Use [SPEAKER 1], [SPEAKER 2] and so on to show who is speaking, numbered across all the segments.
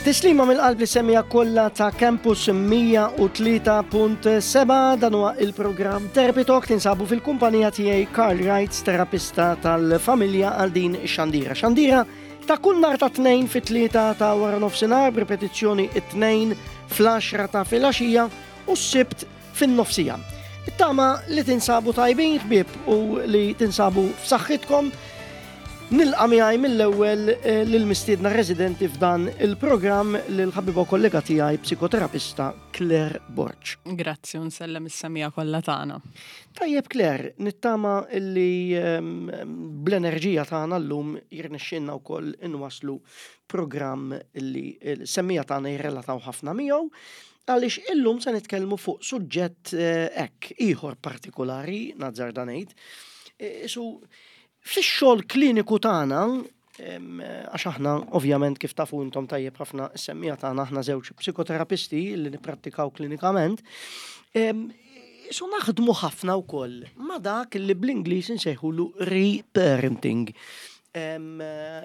[SPEAKER 1] Tislima mill-qalb li semija kollha ta' Campus 103.7 dan huwa il-programm Therapy Talk tinsabu fil-kumpanija tiegħi Karl Wrights, terapista tal-familja għal din ix-xandira. Xandira ta' kull nhar ta' tnejn fit-tlieta ta' wara nofsinhar b'ripetizzjoni it-tnejn fl-10 ta' filgħaxija u s-sibt fin-nofsija. It-tama li tinsabu tajbin ħbieb u li tinsabu f'saħħitkom. Nilqa' miegħi mill-ewwel eh, lill-mistiedna residenti f'dan il-programm lil ħabiba kollega tiegħi psikoterapista Claire Borg.
[SPEAKER 2] Grazzi u nsellem is-semija kollha tagħna.
[SPEAKER 1] Tajjeb Claire, nittama li ehm, bl-enerġija tagħna llum jirnexxinna wkoll inwaslu programm li l-semmija tagħna jirrelataw ħafna miegħu. Għaliex illum se nitkellmu fuq suġġett eh, hekk ieħor partikolari, nazzarda ngħid. Eh, isu fix-xogħol kliniku tagħna, għax aħna ovvjament kif tafu intom tajjeb ħafna s-semmija tagħna aħna żewġ psikoterapisti li nipprattikaw klinikament, isu naħdmu ħafna wkoll ma dak li bl-Ingliż insejħulu reparenting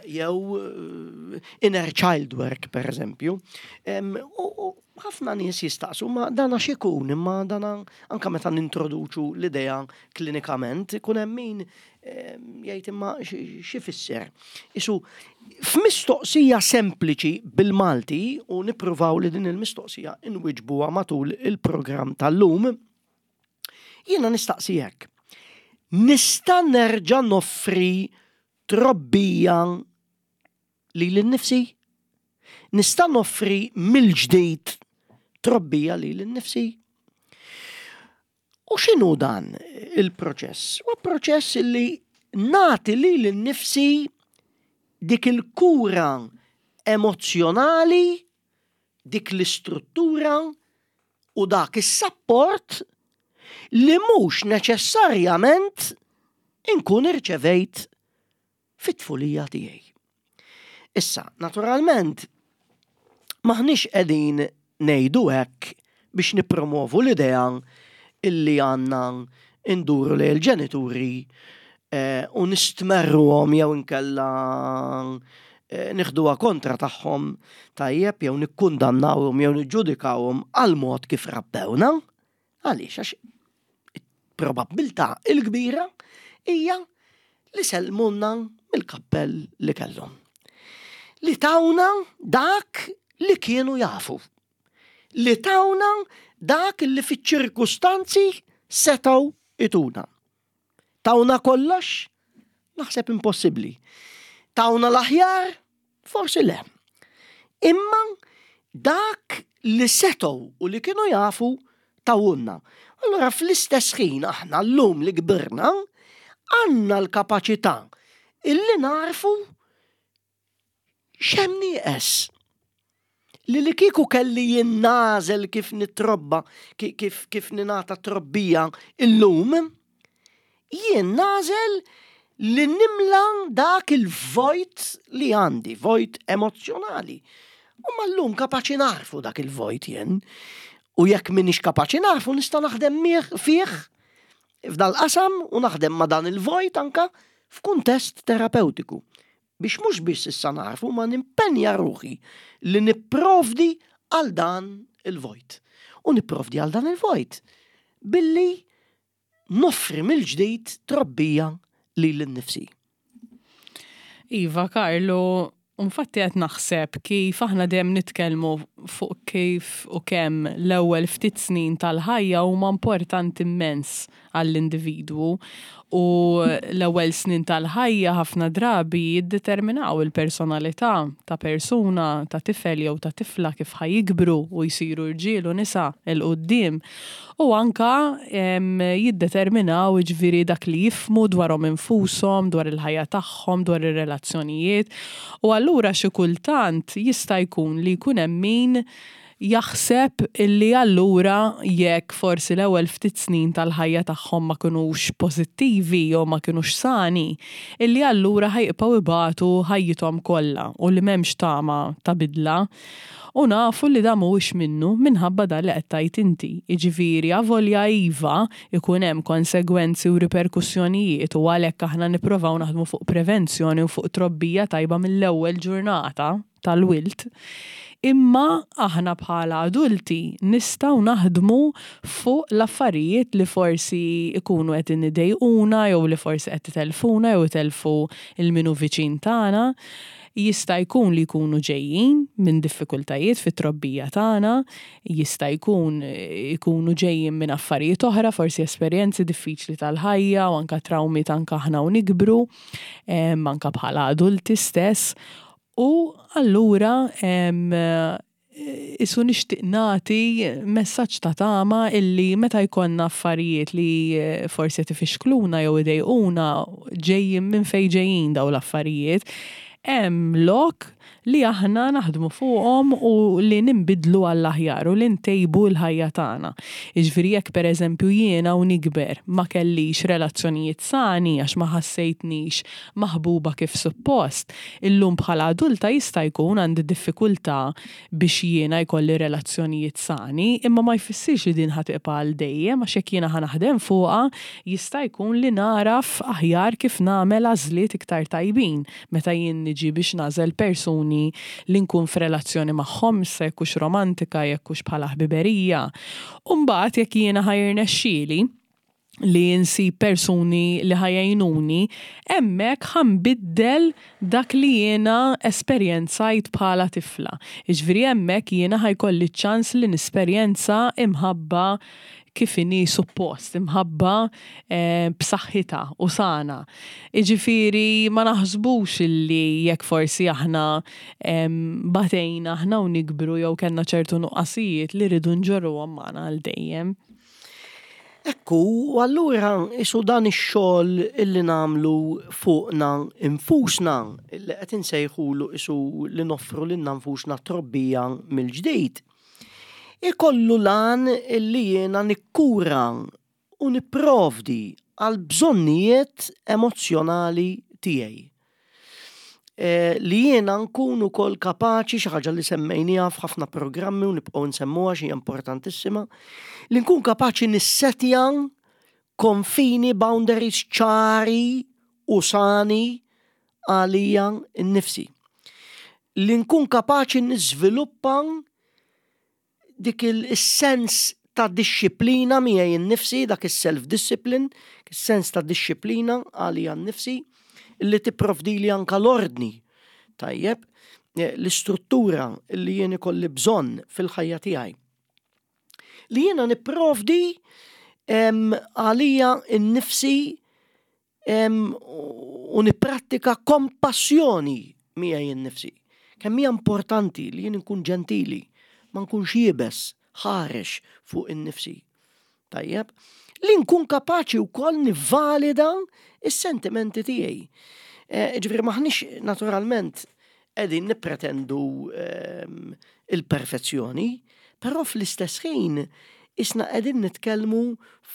[SPEAKER 1] jew eh, inner child work per eżempju. U ħafna nies jistaqsu ma dana x'ikun imma dana anka meta nintroduċu l-idea klinikament ikun hemm min jgħid imma x'ifisser. Isu f'mistoqsija sempliċi bil-Malti u nippruvaw li din il-mistoqsija inwiġbuha matul il-programm tal-lum, Jiena nistaqsi hekk. Nista' nerġa' noffri trobbija lili nnifsi? Nista' noffri mill-ġdid trobbija lili nnifsi? U x'inhu dan il-proċess? Huwa proċess li nagħti lili nnifsi dik il-kura emozzjonali, dik l-istruttura u dak is-sapport li mhux neċessarjament inkun irċevejt fit-tfulija tiegħi. Issa, naturalment, m'aħniex qegħdin ngħidu hekk biex nippromovu l-idea illi għandna nduru lejn il-ġenituri eh, u nistmerruhom jew inkella eh, nieħduha kontra tagħhom tajjeb jew nikkundannawhom jew niġġudikawhom għal mod kif rabbewna. Għaliex għax probabbiltà il-kbira hija li sellmulna mill-kappell li kellhom. Li tawna dak li kienu jafu. Li tawna dak li fiċ-ċirkustanzi setgħu ituna. Tawna kollox? Naħseb impossibbli. Tawna l-aħjar? Forsi le. Imma dak li setgħu u li kienu jafu tawulna. Allura fl-istess ħin aħna llum li kbirna għandna l-kapaċità illi narfu X'hemm nieqes? Li li kieku kelli jien nagħżel kif nitrobba, kif, kif ningħata trobbija illum, jien nagħżel li nimla dak il-vojt li għandi, vojt emozzjonali. U mallum kapaċi narfu dak il-vojt jien. U jekk minix kapaċi narfu nista' naħdem fih f'dal-qasam u naħdem ma' dan il-vojt anka f'kuntest terapeutiku. Biex mhux biss issa nagħrfu ma nimpenja ruħi li nipprovdi għal dan il-vojt. U nipprovdi għal dan il-vojt billi noffri mill-ġdid trobbija lili nnifsi.
[SPEAKER 2] Iva, Karlu, infatti qed naħseb kif aħna dejjem nitkellmu fuq kif u kemm l-ewwel ftit snin tal-ħajja huma importanti immens għall-individwu u l-ewwel snin tal-ħajja ħafna drabi jiddeterminaw il-personalità ta' persuna, ta' tifel jew ta' tifla kif ħa jikbru u jsiru rġiel u nisa 'l quddiem u anke jiddeterminaw jiġifieri dak li jifhmu dwarhom infushom, dwar il-ħajja tagħhom, dwar ir-relazzjonijiet u allura xi kultant jista' jkun li jkun hemm min jaħseb illi allura jekk forsi l-ewwel ftit snin tal-ħajja tagħhom ma kinux pożittivi jew ma kinux sani, illi allura ħa jibqgħu ibatu ħajjithom kollha u li m'hemmx tama ta' bidla. U nafu li dan mhuwiex minnu minħabba dan li qed tgħid inti. Jiġifieri avolja iva jkun hemm konsegwenzi u riperkussjonijiet u għalhekk aħna nipprovaw naħdmu fuq prevenzjoni u fuq trobbija tajba mill-ewwel ġurnata. tal-wilt. Imma aħna bħala adulti nistgħu naħdmu fuq l-affarijiet li forsi ikunu qed idejquna jew li forsi qed itellfuna jew itellfu 'l min hu viċin tagħna. Jista' jkun li jkunu ġejjin minn diffikultajiet fit-trobbija tagħna, jista' jkun ikunu ġejjin minn affarijiet oħra, forsi esperjenzi diffiċli tal-ħajja u anke trawmiet anke aħna u nikbru, anke bħala adulti stess. U allura isu nixtieq nagħti messaġġ ta' tama illi meta jkollna affarijiet li forsi qed ifixkluna jew idejquna ġejjin minn fejn ġejjin dawn l-affarijiet, hemm lok li aħna naħdmu fuqhom u li ninbidlu għall-aħjar u li ntejbu l-ħajja tagħna. Jiġifieri jekk pereżempju jiena u nikber ma kellix relazzjonijiet sani għax ma ħassejtnix maħbuba kif suppost, illum bħala adulta jista' jkun għandi diffikultà biex jiena jkolli relazzjonijiet sani, imma ma jfissirx li din ħa tibqa' għal dejjem għax jekk jiena ħa naħdem fuqha jista' jkun li nagħraf aħjar kif nagħmel għażliet iktar tajbin meta jien niġi biex nagħżel persuni li nkun f'relazzjoni magħhom, issa jekk hux romantika, jekk hux bħala ħbiberija. U mbagħad jekk jiena ħa jirnexxieli li nsib persuni li ħa jgħinuni, hemmhekk ħa nbiddel dak li jiena esperjenzajt bħala tifla. Jiġifieri hemmhekk jiena ħa jkolli ċ-ċans li nesperjenza imħabba kif inhi suppost, imħabba b'saħħitha u sana. Jiġifieri ma naħsbux illi jekk forsi aħna batejna aħna u nikbru jew kellna ċertu nuqqasijiet li rridu nġorruhom magħna għal dejjem.
[SPEAKER 1] Ekku, u allura isu dan ix-xogħol illi nagħmlu fuqna infusna, illi qed insejħulu isu li noffru lilna nfusna trobbija mill-ġdid, ikollu l-għan illi jiena nikkura u nipprovdi għall-bżonnijiet emozzjonali tiegħi. Eh, li jiena nkun ukoll kapaċi xi ħaġa li semmejniha f'ħafna programmi u nibqgħu nsemmuha xi importantissima, li nkun kapaċi nissetja konfini boundaries ċari u sani għalija nnifsi. Li nkun kapaċi niżviluppa dik is-sens ta' dixxiplina miegħi nnifsi, dak is-self-discipline, is-sens ta' dixxiplina għalija nnifsi, li tipprovdili anka l-ordni. Tajjeb, eh, l-istruttura li jien ikolli bżonn fil-ħajja tiegħi. Li jiena nipprovdi għalija nnifsi u nipprattika kompassjoni miegħi nnifsi. Kemm hija importanti li jien nkun ġentili, ma nkunx iebes, ħarex fuq innifsi. Tajjeb, li nkun kapaċi wkoll nivvalida is-sentimenti tiegħi. Eh, ġifieri maħniex naturalment qegħdin nippretendu ehm, il-perfezzjoni, però fl-istess ħin isna qegħdin nitkellmu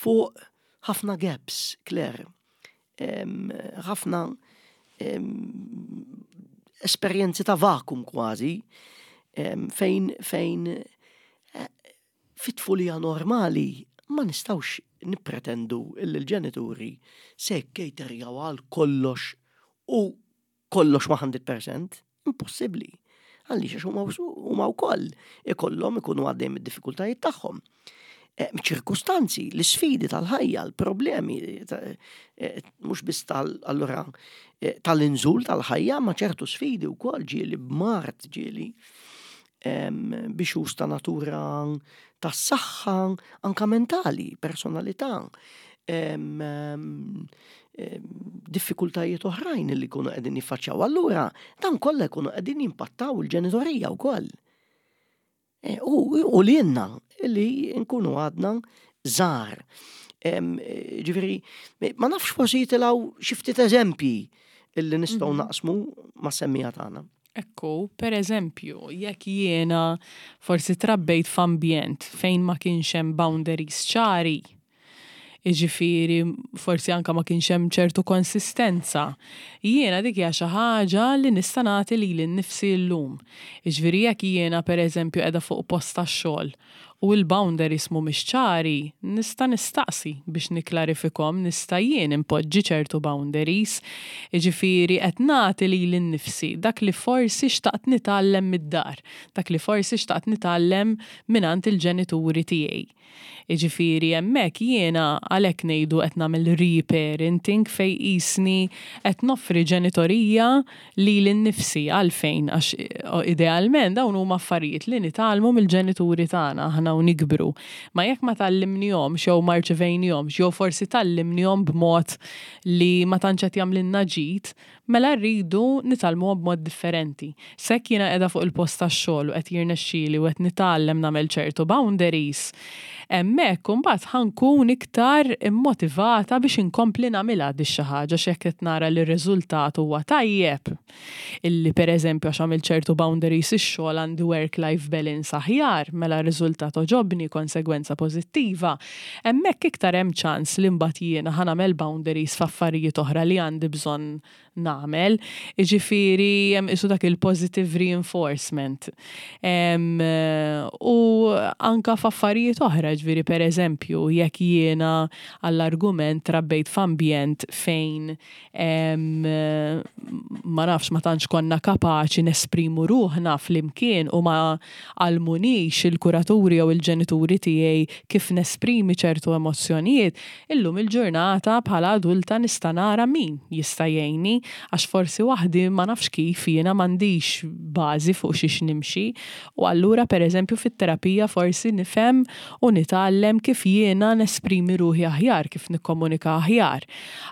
[SPEAKER 1] fuq ħafna gaps, Claire, ħafna esperjenzi ta' vakum kważi, fejn fejn eh, fit-tfulija normali ma nistawx nippretendu li l-ġenituri se jkejterjaw għal kollox u kollox 100%, impossibbli. Għaliex għax huma wkoll ikollhom ikunu għaddejn mid-diffikultajiet tagħhom. Eh, ċirkustanzi, l-isfidi tal-ħajja, l-problemi, eh, mhux biss tal-allura eh, tal-inżul tal-ħajja, ma ċertu sfidi wkoll ġieli b'mard ġieli biex ta' natura tas-saħħa anka mentali, personalità diffikultajiet oħrajn li jkunu qegħdin jiffaċċjaw. Allura dan kollha jkunu qegħdin jimpattaw il-ġenitorija wkoll. E, u li jenna li nkunu għadna żgħar. Ġifieri, ma nafx forsi jitilgħu xi ftit eżempji illi nistgħu mhm. naqsmu ma' semmija tagħna.
[SPEAKER 2] Ekku, per eżempju, jekk jiena forsi trabbejt f'ambjent fejn ma kienx hemm boundaries ċari, jiġifieri forsi anke ma kienx hemm ċertu konsistenza, jiena dik hija xi ħaġa li nista' nagħti lili nnifsi llum. Jiġifieri jekk jiena pereżempju qiegħda fuq post tax-xogħol. u l-boundaries mhumiex ċari, nista' nistaqsi biex nikklarifikhom, nista' jien inpoġġi ċertu boundaries. Jiġifieri qed nagħti lili nnifsi dak li forsi xtaqt nitgħallem mid-dar, dak li forsi xtaqt nitgħallem mingħand il-ġenituri tiegħi. Jiġifieri hemmhekk jiena għalhekk ngħidu qed nagħmel reparenting fejn qisni qed noffri ġenitorija lili nnifsi. Għalfejn? Għax idealment dawn huma affarijiet li nitgħallmu mill-ġenituri tagħna aħna u nikbru. Ma jekk ma tgħallimnihomx jew ma rċivejnihomx jew forsi tgħallimnihom b'mod li ma tantx qed jagħmlilna ġid, Mela rridu nitgħallmuha b'mod differenti. S'hekk jiena qiegħda fuq il-post tax-xogħol u qed jirnexxieli u qed nitgħallem nagħmel ċertu boundaries, hemmhekk imbagħad ħa nkun iktar immotivata biex inkompli nagħmilha dix-xi ħaġa għax jekk qed nara li r-riżultat huwa tajjeb, illi pereżempju għax għamilt ċertu boundaries ix-xogħol għandi work-life balance aħjar, mela r-riżultat għoġobni, konsegwenza pożittiva, Hemmhekk iktar hemm ċans li mbagħad jiena ħa nagħmel boundaries f'affarijiet oħra li għandi bżonn nagħmel. Jiġifieri hemm qisu dak il-positive reinforcement. U anke f'affarijiet oħra, jiġifieri pereżempju jekk jiena għall-argument trabbejt f'ambjent fejn ma nafx ma tantx konna kapaċi nesprimu ruħna flimkien u ma għallmunix il-kuraturi jew il-ġenituri tiegħi kif nesprimi ċertu emozzjonijiet, illum il-ġurnata bħala adulta nista' nara min jista' jgħinni għax forsi waħdi ma nafx kif jiena m'għandix bażi fuq xiex nimxi u allura pereżempju fit-terapija forsi nifhem u nitgħallem kif jiena nesprimi ruħi aħjar, kif nikkomunika aħjar.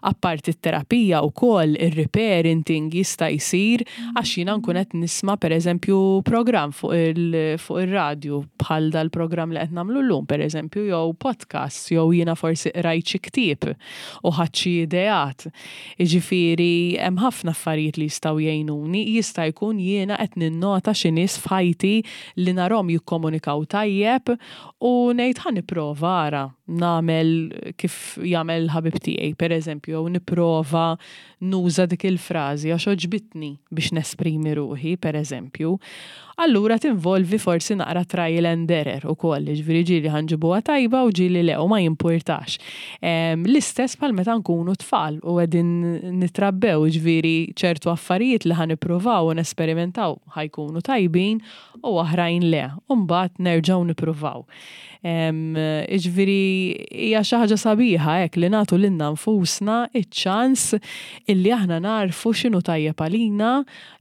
[SPEAKER 2] Apparti t-terapija wkoll ir-reparenting jista' jsir għax jiena nkun qed nisma' pereżempju programm fuq fuq ir-radju bħal dal-programm li qed nagħmlu llum pereżempju jew podcast jew jiena forsi qrajt xi ktieb u ħadt xi ideat. Jiġifieri hemm ħafna affarijiet li jistgħu jgħinuni, jista' jkun jiena qed ninnota xi nies f'ħajti li narhom jikkomunikaw tajjeb u ngħid ħa nipprova ara nagħmel kif jagħmel il-ħabib tiegħi, pereżempju, jew nipprova nuża dik il-frażi għax għoġbitni biex nesprimi ruħi, pereżempju. Allura tinvolvi forsi naqra trial and error ukoll, jiġifieri ġieli ħa nġibuha tajba u ġieli le u ma jimpurtax. L-istess bħal meta nkunu tfal u qegħdin nitrabbew, jiġifieri ċertu affarijiet li ħa nippruvaw u nesperimentaw ħa jkunu tajbin u oħrajn le, u mbagħad nerġgħu nippruvaw. Jiġifieri hija xi ħaġa sabiħa hekk li nagħtu lilna nfusna ċ-ċans illi aħna nagħrfu x'inhu tajjeb għalina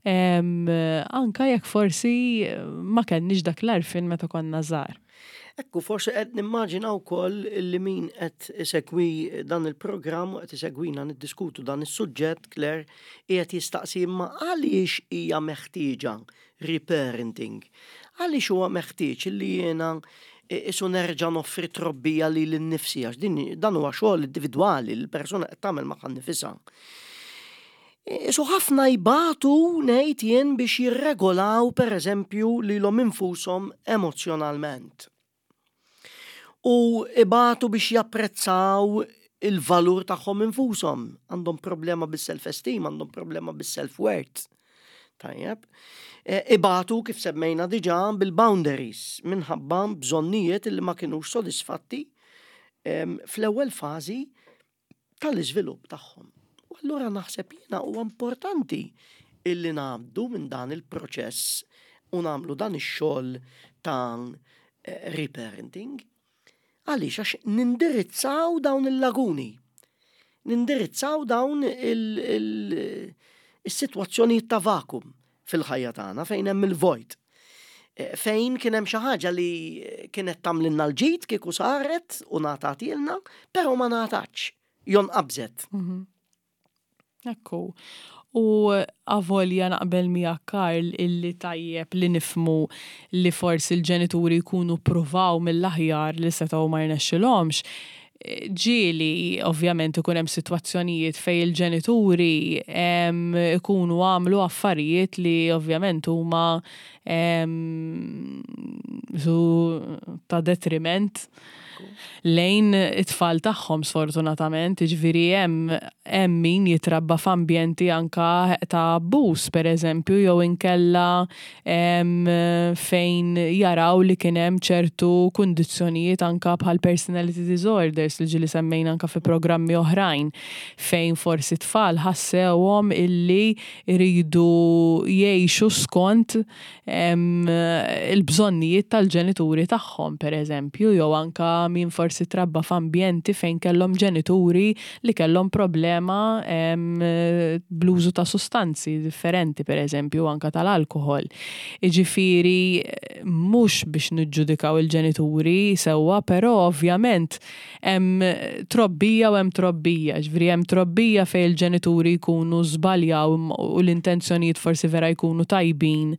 [SPEAKER 2] anke jekk forsi ma kellniex dak l-għarfien meta konna żgħar.
[SPEAKER 1] Ekku, forsi qed nimmaġina wkoll li min qed isegwi dan il-programm u qed isegwina niddiskutu dan is-suġġett, Claire, qiegħed jistaqsi imma għaliex hija meħtieġa reparenting. Għaliex huwa meħtieġ li jiena isu nerġa' noffri trobbija lili nnifsi għax din dan huwa xogħol individwali li l-persuna qed tagħmel magħha nnifisha. Isu ħafna jbatu ngħid jien biex jirregolaw pereżempju lilhom infushom emozzjonalment. U ibatu biex japprezzaw il-valur tagħhom infushom. Għandhom problema bis-self-esteem, għandhom problema bis-self-worth. Tajjeb. E, ibatu kif semmejna diġà bil-boundaries minħabba bżonnijiet li ma kinux sodisfatti fl-ewwel fażi tal-iżvilupp tagħhom. U allura naħseb jiena huwa importanti illi ngħaddu minn dan il-proċess u nagħmlu dan ix-xogħol ta' eh, reparenting. Għaliex għax nindirizzaw dawn il-laguni. Nindirizzaw dawn il-sitwazzjonijiet ta' vakum fil-ħajja tagħna fejn hemm il-vojt. Eh, fejn kien hemm xi ħaġa li kienet tagħmlilna l-ġid kieku saret u ngħatatilna, però ma ngħatatx, jon qabżet. Mhm.
[SPEAKER 2] Ekku. U avolja naqbel miegħek Karl illi tajjeb li nifhmu li forsi l-ġenituri jkunu ppruvaw mill-aħjar li setgħu ma rnexxilhomx, ġieli ovvjament ikun hemm sitwazzjonijiet fejn il-ġenituri ikunu għamlu affarijiet li ovvjament huma. Su ta' detriment lejn it-tfal tagħhom sfortunatament, jiġifieri hemm hemm min jitrabba f'ambjenti anka ta' abbuż pereżempju jew inkella fejn jaraw li kien hemm ċertu kundizzjonijiet anka bħal personality disorders li ġieli semmejna anka fi programmi oħrajn fejn forsi tfal ħassewhom illi jridu jgħixu skont il-bżonnijiet tal-ġenituri tagħhom, pereżempju, jew anke min forsi trabba f'ambjenti fejn kellhom ġenituri li kellhom problema bl-użu ta' sustanzi differenti, pereżempju, anke tal-alkoħol. Jiġifieri mhux biex niġġudikaw il-ġenituri sewwa, però ovvjament Hemm trobbija u hemm trobbija, ġifieri hemm trobbija fejn il-ġenituri jkunu żbaljaw u l-intenzjonijiet forsi vera jkunu tajbin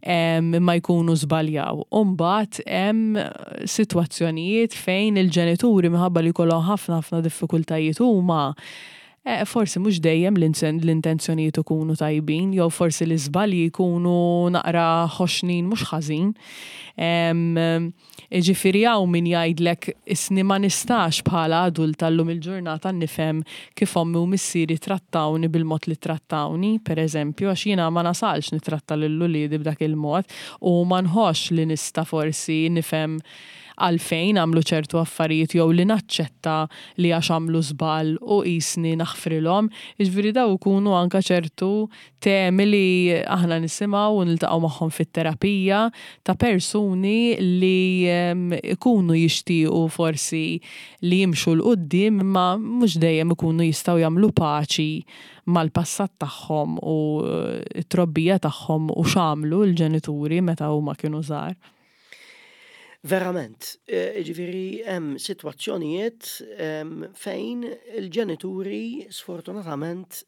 [SPEAKER 2] imma jkunu żbaljaw. U mbagħad hemm sitwazzjonijiet fejn il-ġenituri minħabba li jkollhom ħafna ħafna diffikultajiet huma Forsi mhux dejjem l-intenzjonijiet ikunu tajbin, jew forsi l-iżbalji jkunu naqra ħoxnin mhux ħażin. Jiġifieri hawn min jgħidlek isni ma nistax bħala adulta llum il-ġurnata nifhem kif ommi u missieri trattawni bil-mod li trattawni, pereżempju, għax jiena ma nasalx nittratta lil uliedi b'dak il-mod u ma nħossx li nista' forsi nifhem għalfejn għamlu ċertu affarijiet jew li naċċetta li għax għamlu żball u qisni naħfrilhom. Jiġifieri dawn ikunu anke ċertu temi li aħna nisimgħu u niltaqgħu magħhom fit-terapija ta' persuni li jkunu jixtiequ forsi li jimxu 'l quddiem imma mhux dejjem ikunu jistgħu jagħmlu paċi mal-passat tagħhom u t-trobbija tagħhom u x'għamlu l-ġenituri meta huma kienu żgħar.
[SPEAKER 1] Verament, jiġifieri hemm sitwazzjonijiet fejn il-ġenituri sfortunatament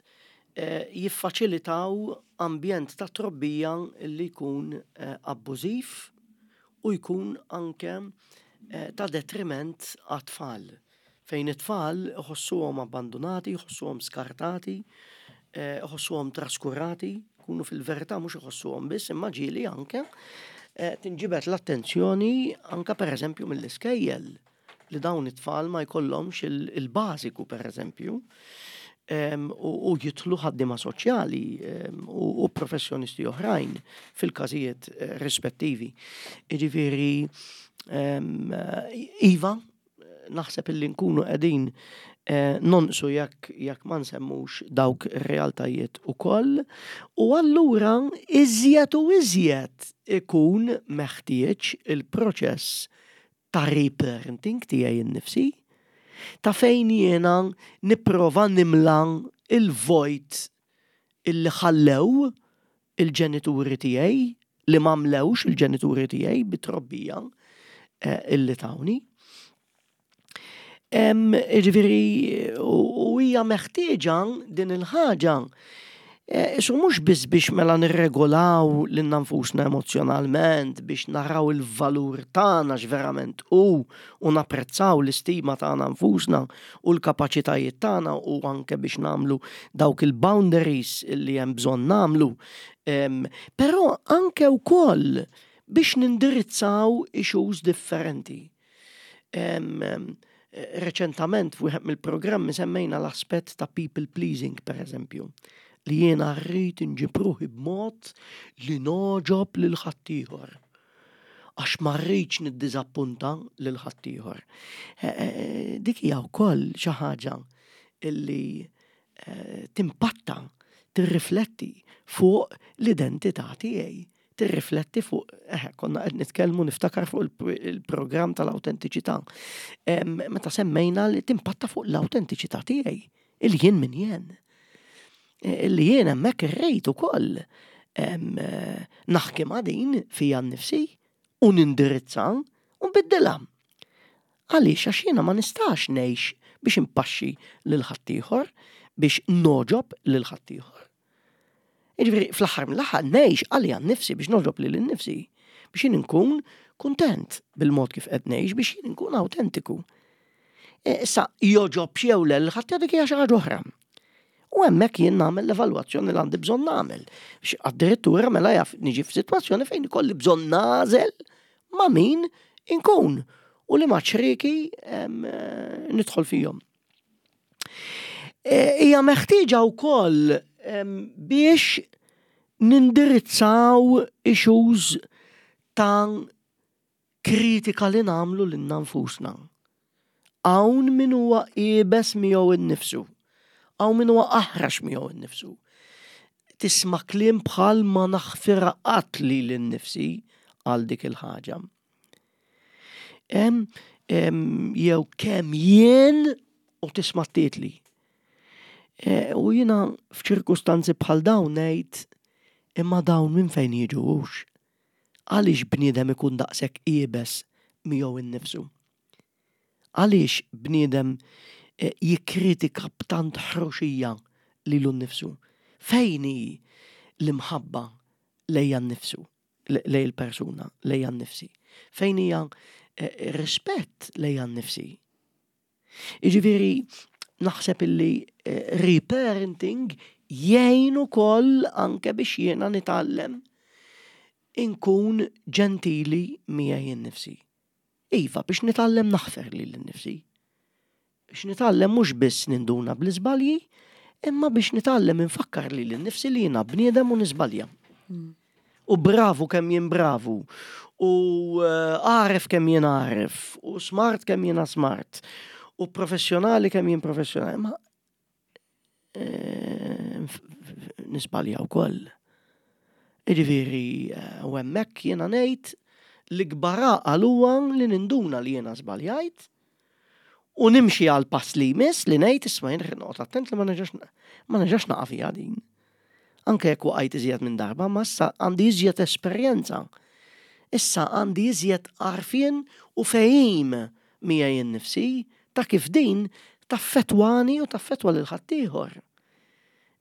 [SPEAKER 1] jiffaċilitaw ambjent ta' trobbija li jkun abbużiv u jkun anke ta' detriment għat-tfal. Fejn it-tfal iħossuhom abbandunati, iħossuhom skartati, iħossuhom traskurati, jkunu fil-verità mhux iħossuhom biss, imma ġieli anke tinġibed l-attenzjoni anke pereżempju mill-iskejjel li dawn it-tfal ma jkollhomx il-bażiku pereżempju u jidħlu ħaddiema soċjali u professjonisti oħrajn fil-każijiet rispettivi. Jiġifieri iva, naħseb illi nkunu qegħdin eh, nonqsu jekk jekk ma nsemmux dawk ir-realtajiet ukoll. U allura iżjed u iżjed ikun meħtieġ il-proċess ta' reparenting tiegħi innifsi, ta' fejn jiena nipprova nimla il-vojt illi ħallew il-ġenituri tiegħi, li ma mlewx il-ġenituri tiegħi bit-trobbija eh, illi tawni. Ġifieri, u hija meħtieġa din il-ħaġa eh, Isu mhux biss biex mela nirregolaw lil nfusna emozjonalment biex naraw il-valur tagħna x'verament hu u napprezzaw l-istima tagħna nfusna u l-kapaċitajiet tagħna u anke biex nagħmlu dawk il-boundaries li hemm bżonn nagħmlu. Però anke wkoll biex nindirizzaw issues differenti. Reċentament f'wieħed mill-programmi semmejna l-aspett ta' people pleasing per eżempju, li jiena rrid inġib ruħi b'mod li nogħġob lil ħaddieħor. Għax ma rridx niddiżappunta lil ħaddieħor. Eh, eh, dik hija wkoll xi ħaġa illi eh, timpatta, tirrifletti fuq l-identità tiegħi tirrifletti fuq, eh, konna qed nitkellmu niftakar fuq il-programm tal-autentiċità. Meta semmejna li timpatta fuq l-autentiċità tiegħi, il jien min jien. Illi jien hemmhekk irrid ukoll naħkimha din fija nnifsi u nindirizza u nbiddilha. Għaliex għax jiena ma nistax ngħix biex impaxxi lil ħaddieħor, biex nogħġob lil ħaddieħor. Jiġifieri fl-aħħar mill-aħħar ngħix għalija nnifsi biex nogħġob lili nnifsi, biex jien inkun kuntent bil-mod kif qed ngħix biex jien inkun awtentiku. E, issa jogħġobx jew le lil ħadd dik hija xi ħaġa oħra. U hemmhekk jien nagħmel l-evalwazzjoni li għandi bżonn nagħmel. Addirittura mela jaf niġi f'sitwazzjoni fejn ikolli bżonn nagħżel ma' min inkun u li ma' ċrieki nidħol fihom. Hija meħtieġa wkoll biex nindirizzaw issues ta' kritika li nagħmlu lilna nfusna. Hawn min huwa iebes miegħu nnifsu. Hawn min huwa aħrax miegħu nnifsu. Tisma' kliem bħal ma naħfirha qatt lili nnifsi għal dik il-ħaġa. Jew kemm jien u tisma' titli. E, u jiena f'ċirkustanzi bħal dawn ngħid imma dawn minn fejn jiġu hux. Għaliex bniedem ikun daqshekk iebes miegħu innifsu? Għaliex bniedem e, jikkritika b'tant ħruxija lilu nnifsu? Fejn hi l-imħabba lejja nnifsu? Lej il-persuna, lejja nnifsi? Fejn hija eh, rispett lejja nnifsi? Jiġifieri naħseb illi eh, reparenting jgħin ukoll anke biex jiena nitgħallem inkun ġentili miegħi nnifsi. Iva, biex nitgħallem naħfer lili nnifsi. Biex nitgħallem mhux biss ninduna bl-iżbalji, imma biex nitgħallem infakkar lili nnifsi li jiena bniedem u niżbalja. U bravu kemm jien bravu, u eh, għaref kemm jien għaref, u smart kemm jiena smart, u professjonali kemm jien professjonali. Ma eh, nisbalja wkoll. Jiġifieri eh, u hemmhekk jiena ngħid l-ikbar għaqal huwa li ninduna li jiena żbaljajt u nimxi għal pass li jmiss li ngħid isma' jien noqgħod attent li ma nerġax ma nerġax naqa' fiha din. Anke jekk waqajt iżjed minn darba, ma issa għandi iżjed esperjenza. Issa għandi iżjed għarfien u fehim miegħi nnifsi ta' kif din taffettwani u taffettwa lil ħaddieħor.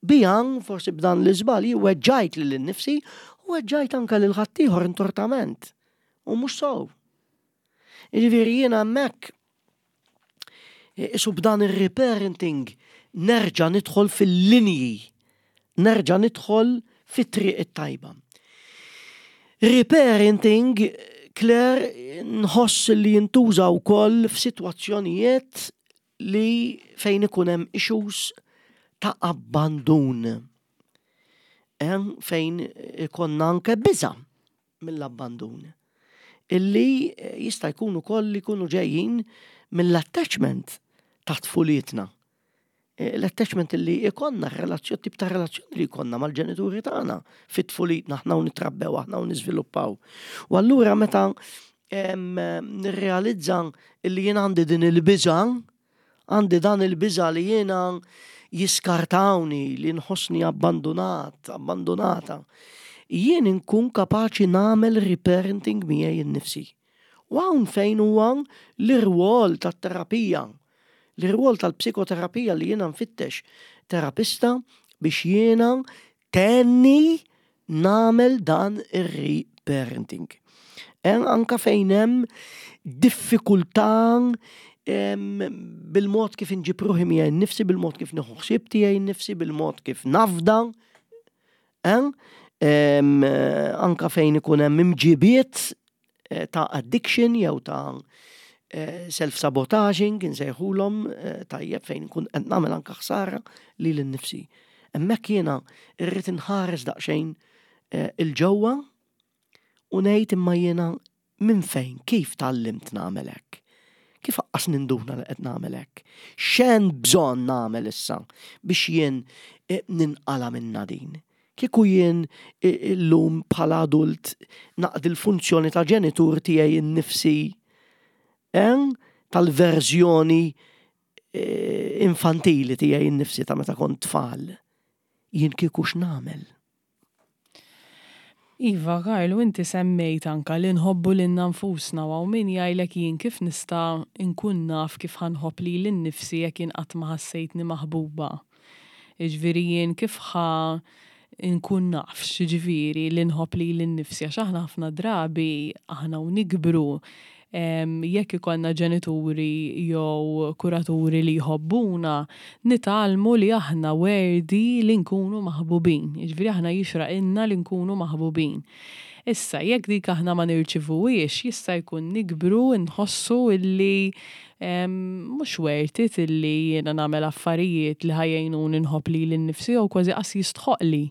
[SPEAKER 1] Biha, forsi b'dan l-iżball, jien weġġajt lili nnifsi u weġġajt anke lil ħaddieħor intortament. U mhux sew. Jiġifieri jiena hemmhekk isu b'dan ir-reparenting nerġa' nidħol fil-linji, nerġa' nidħol fit-triq it-tajba. Reparenting, Claire, nħoss li jintuża wkoll f'sitwazzjonijiet li fejn ikun hemm issues ta' abbandun. Fejn ikonna anke biża' mill-abbandun. Illi jista' jkun ukoll li jkunu ġejjin mill-attachment ta' tfulietna. L-attachment li ikonna relazzjoni, tip ta' relazzjoni li jkollna mal-ġenituri tagħna fit-tfulitna aħna u nitrabbew aħna u niżviluppaw. U allura meta nirrealizza li jien għandi din il-biża, għandi dan il-biża li jiena jiskartawni, li nħossni abbandunat, abbandunata, jien inkun kapaċi nagħmel reparenting miegħi nnifsi. U hawn fejn huwa l-irwol tat-terapija, l-irwol tal-psikoterapija li jiena nfittex terapista biex jiena Tgħinni nagħmel dan ir-reparenting. Anka fejn hemm diffikultà bil-mod kif inġib ruħi miegħi nnifsi, bil-mod kif nieħu ħsieb tiegħi nnifsi, bil-mod kif nafda. Anka fejn ikun hemm imġibiet eh, ta' addiction jew ta' eh, self-sabotaging, insejħulhom eh, tajjeb fejn nkun qed nagħmel anka ħsara lil innifsi. Hemmhekk jiena rrid inħares daqsxejn il-ġewwa u ngħid imma jiena minn fejn, kif tgħallimt nagħmel hekk? Kif aqqas ninduna li qed nagħmel hekk? X'hemm bżonn nagħmel issa biex jien ninqala' minna din? Kieku jien illum bħala adult naqdi l-funzjoni ta' ġenitur tiegħi nnifsi, eh, tal-verżjoni eh, infantili tiegħi nnifsi ta' meta kont tfal, jien kieku x'nagħmel?
[SPEAKER 2] Iva, Karl, u inti semmejt anka li nħobbu lilna nfusna u hawn min jgħidlek jien kif nista' nkun naf kif ħa nħobb lili nnifsi jekk jien qatt ma ħassejtni maħbuba. Jiġifieri jien kif ħa nkun naf x'jiġifieri li nħobb lili nnifsi għax aħna ħafna drabi aħna u nikbru. Jekk ikollna ġenituri jew kuraturi li jħobbuna, nitgħallmu li aħna worthy li nkunu maħbubin. Jiġifieri aħna jixraqilna li nkunu maħbubin. Issa, jekk dik aħna ma nirċivuhiex, jista' jkun nikbru nħossu illi mhux worth it illi jiena nagħmel affarijiet li ħa jgħinuni nħobb lili nnifsi jew kważi qas jistħoqqli.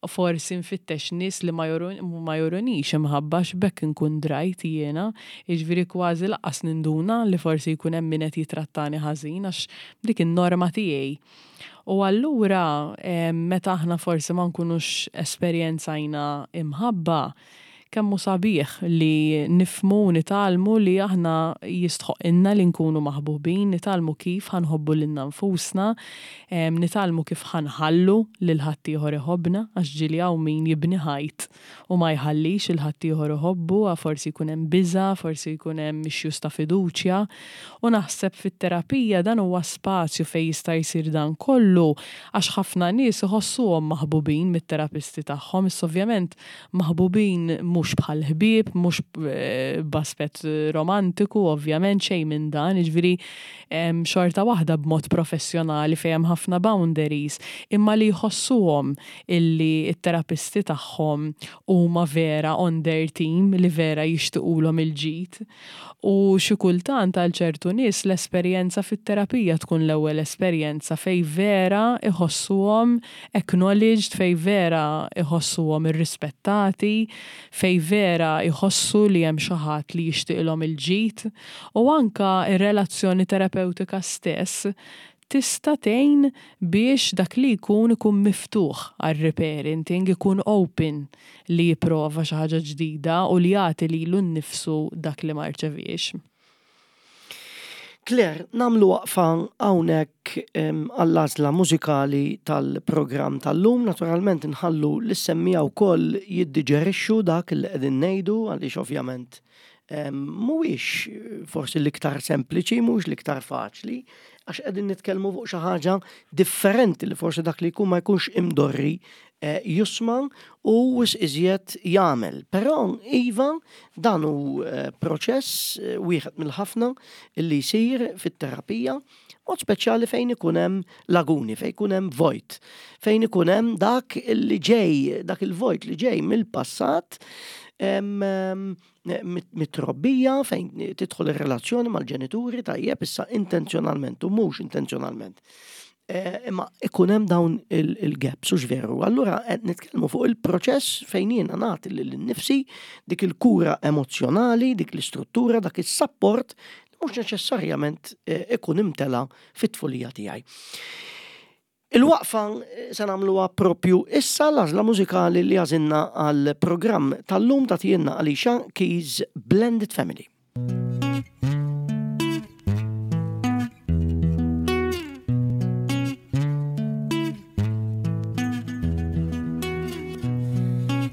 [SPEAKER 2] Forsi nfittex nies li ma jurunix imħabba għax b'hekk inkun drajt jiena, jiġifieri kważi lanqas ninduna li forsi jkun hemm min qed jitrattani ħażin għax dik in-norma tiegħi. U allura meta aħna forsi ma nkunux esperjenzajna imħabba, kemm hu sabiħ li nifhmu u nitgħallmu li aħna jistħoqqilna li nkunu maħbubin, nitgħallmu kif ħa nħobbu lilna nfusna, nitgħallmu kif ħa nħallu lil ħaddieħor iħobbna, għax ġieli hawn min jibni ħajt u ma jħallix lil ħaddieħor iħobbu, forsi jkun hemm biża', forsi jkun hemm issues ta' fiduċja. U naħseb fit-terapija dan huwa spazju fejn jista' jsir dan kollu għax ħafna nies iħossuhom maħbubin mit-terapisti tagħhom, issa ovvjament Maħbubin mhux bħal ħbieb, mhux b'aspett romantiku ovvjament, xejn minn dan, jiġifieri xorta waħda b'mod professjonali fejn hemm ħafna boundaries, imma li jħossuhom illi t-terapisti tagħhom huma vera on their team, li vera jixtiqulhom il-ġid. U xi kultant għal ċertu nies l-esperjenza fit-terapija tkun l-ewwel esperjenza fejn vera iħossuhom acknowledged, fejn vera iħossuhom irrispettati, fejn vera jħossu li hemm xi ħadd li jixtieqilhom il-ġid. U anke r-relazzjoni terapewtika stess tista' tgħin biex dak li jkun ikun miftuħ għar-reparenting, ikun open li jipprova xi ħaġa ġdida u li jagħti lilu nnifsu dak li ma rċeviex.
[SPEAKER 1] Claire, nagħmlu waqfa hawnhekk għall-għażla mużikali tal-programm tal-lum. Naturalment inħallu lis-semmiegħa wkoll jiddiġerixxu dak li qegħdin ngħidu għaliex ovvjament mhuwiex forsi l-iktar sempliċi, mhuwiex l-iktar faċli, għax qegħdin nitkellmu fuq xi ħaġa differenti li forsi dak li jkun ma jkunx imdorri eh, jisma' u wisq iżjed jagħmel. Però iva dan hu eh, proċess eh, wieħed mill-ħafna li jsir fit-terapija, mod speċjali fejn ikun hemm laguni, fejn ikun hemm vojt, fejn ikun hemm dak li ġej, dak il-vojt li ġej mill-passat mit-trobbija fejn tidħol ir-relazzjoni mal-ġenituri tajjeb issa intenzjonalment u mhux intenzjonalment. Eh, imma ikun hemm dawn il-gaps u veru. Allura qed nitkellmu fuq il-proċess fejn jiena nagħti lil innifsi dik il-kura emozzjonali, dik l-istruttura, dak is-sapport li mhux neċessarjament eh, ikun imtela fit-tfulija tiegħi. Il-waqfa se nagħmluha propju issa l-għażla mużikali li għażilna għall-programm tal-lum tagħtielna Alicia Keys Blended Family.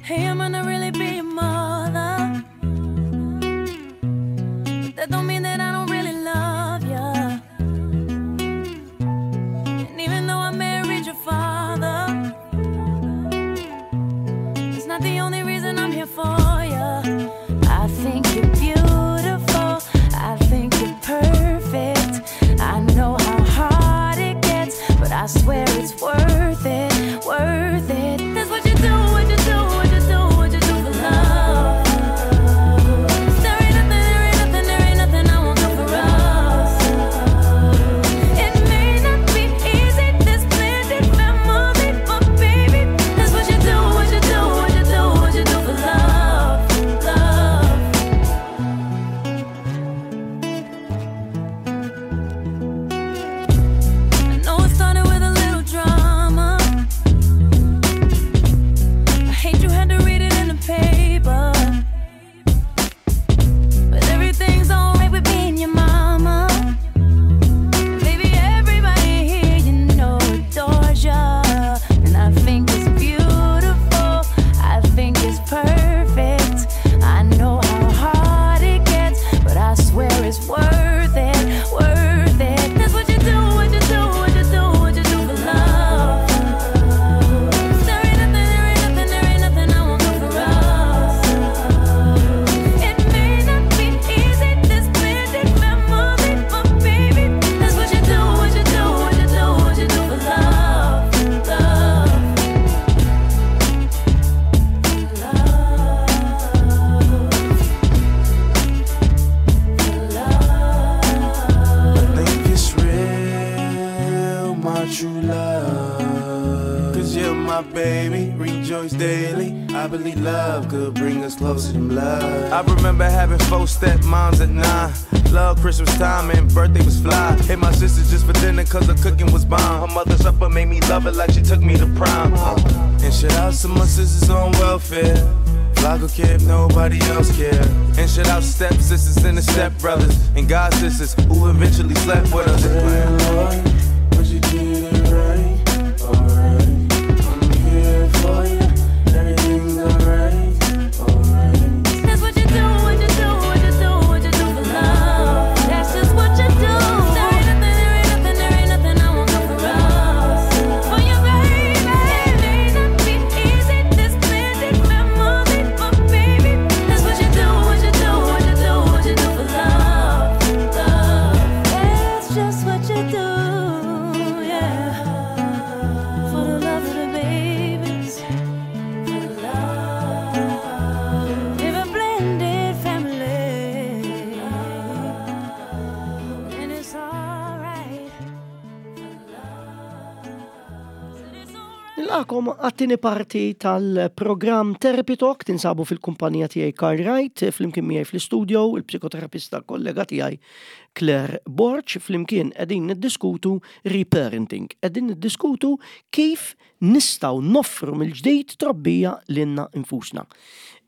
[SPEAKER 3] Hey, I might not really be your mother, but that don't mean that I don't really love ya. And even though I married your father, it's not the only reason I'm here for ya. I think you're beautiful. I
[SPEAKER 4] true love. Cause you're my baby, rejoice daily. I believe love could bring us closer than blood. I remember having four step moms at nine. Love Christmas time and birthday was fly. Hit my sister just for dinner cause her cooking was bomb. Her mother's supper made me love it like she took me to prom. And shout out to my sisters on welfare. Fly care if nobody else care. And shout out step sisters and the step brothers and god sisters who eventually slept with us. Lord, but you did it right, alright. I'm here for you. Everything's alright, alright.
[SPEAKER 3] That's what you do, what you do, what you do, what you do for love. That's just what you do. There ain't nothing, there ain't nothing, there ain't nothing I won't do for us. For you, baby. It may not be easy, this blended memory, but baby, that's what you do, what you do, what you do, what you do for love. Love. That's just what you do, yeah. For the love of the babies. For the love. Live a blended family. And it's alright.
[SPEAKER 1] Nilqakom għat-tieni parti tal-programm Therapy Talk tinsabu fil-kumpanija tiegħi Karl Wright, flimkien miegħi fl-istudio il-psikoterapista kollega tiegħi Claire Borg, flimkien qegħdin niddiskutu reparenting, qegħdin niddiskutu kif nistgħu noffru mill-ġdid trobbija lilna nfusna.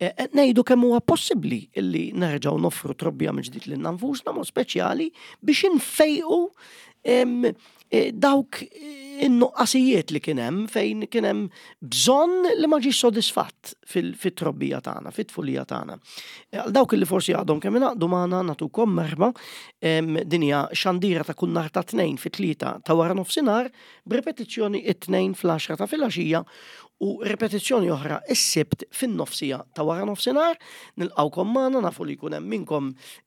[SPEAKER 1] Qed ngħidu kemm huwa possibbli illi nerġgħu noffru trobbija mill-ġdid lilna nfusna, mod speċjali biex infejqu dawk in-nuqqasijiet li kien hemm fejn kien hemm bżonn li ma ġiex sodisfatt fit-trobbija tagħna, fit-tfulija tagħna. Għal dawk li forsi għadhom kemm ingħaqdu magħna nagħtukom merħba, din hija xandira ta' kull nhar ta' tnejn fit-tlieta ta' wara nofsinhar, b'repetizzjoni it-tnejn fl-10 ta' filgħaxija u ripetizzjoni oħra is-Sibt fin-nofsija ta' wara nofsinhar. Nilqgħukom magħna, nafu li jkun hemm minnkom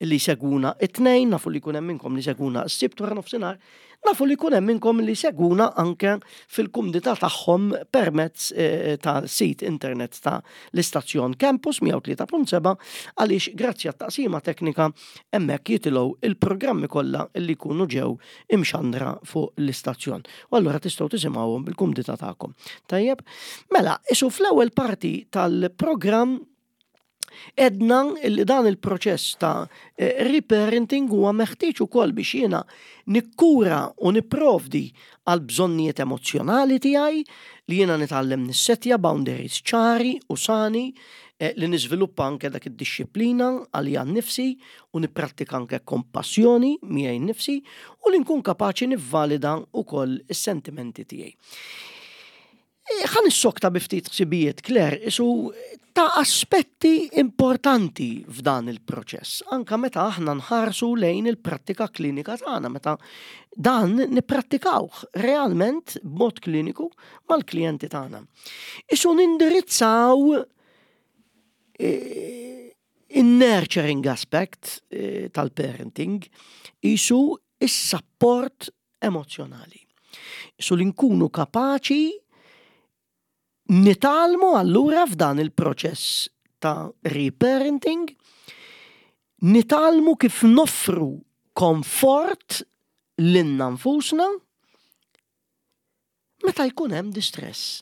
[SPEAKER 1] li jsegwuna it-tnejn, nafu li jkun hemm minnkom li jsegwuna s-Sibt wara nofsinhar, nafu li jkun hemm minnkom li jsegwuna anke fil-kumdità tagħhom permezz ta' sit internet ta' l-istazzjon Campus 103.7, għaliex grazzi għat-taqsima teknika hemmhekk jitilgħu il-programmi kollha li jkunu ġew imxandra fuq l-istazzjon. U allura tistgħu tisimgħuhom bil-kumdità tagħkom. Tajjeb? Mela, isu fl-ewwel parti tal-programm edna li dan il-proċess ta' reparenting huwa meħtieġ ukoll biex jiena nikkura u nipprovdi għal bżonnijiet emozzjonali tiegħi, li jiena nitgħallem nissetja boundaries ċari u sani, li niżviluppa anke dak id-dixxiplina għalija nnifsi u nipprattika anke kompassjoni miegħi nnifsi u li nkun kapaċi nivvalida wkoll is-sentimenti tiegħi. Ħa nissokta bi ftit ħsibijiet, Claire, isu ta' aspetti importanti f'dan il-proċess, anka meta aħna nħarsu lejn il-prattika klinika tagħna, meta dan nipprattikawh realment b'mod kliniku mal-klijenti tagħna. Isu nindirizzaw in-nurturing aspect tal-parenting, isu is-support emozjonali. Isu li nkunu kapaċi nitgħallmu allura f'dan il-proċess ta' reparenting, nitgħallmu kif noffru komfort lilna nfusna meta jkun hemm distress.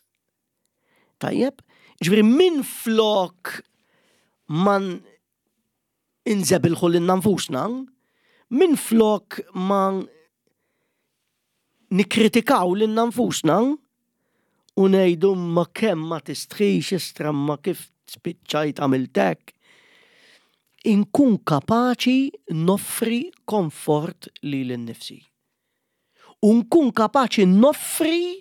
[SPEAKER 1] Tajjeb, ġifieri minn flok ma inżebilħu lilna nfusna, minn flok ma nikkritikaw lilna nfusna u ngħidu ma kemm ma tistħix istra ma kif spiċċajt għamiltek, inkun kapaċi noffri komfort lili nnifsi. U nkun kapaċi noffri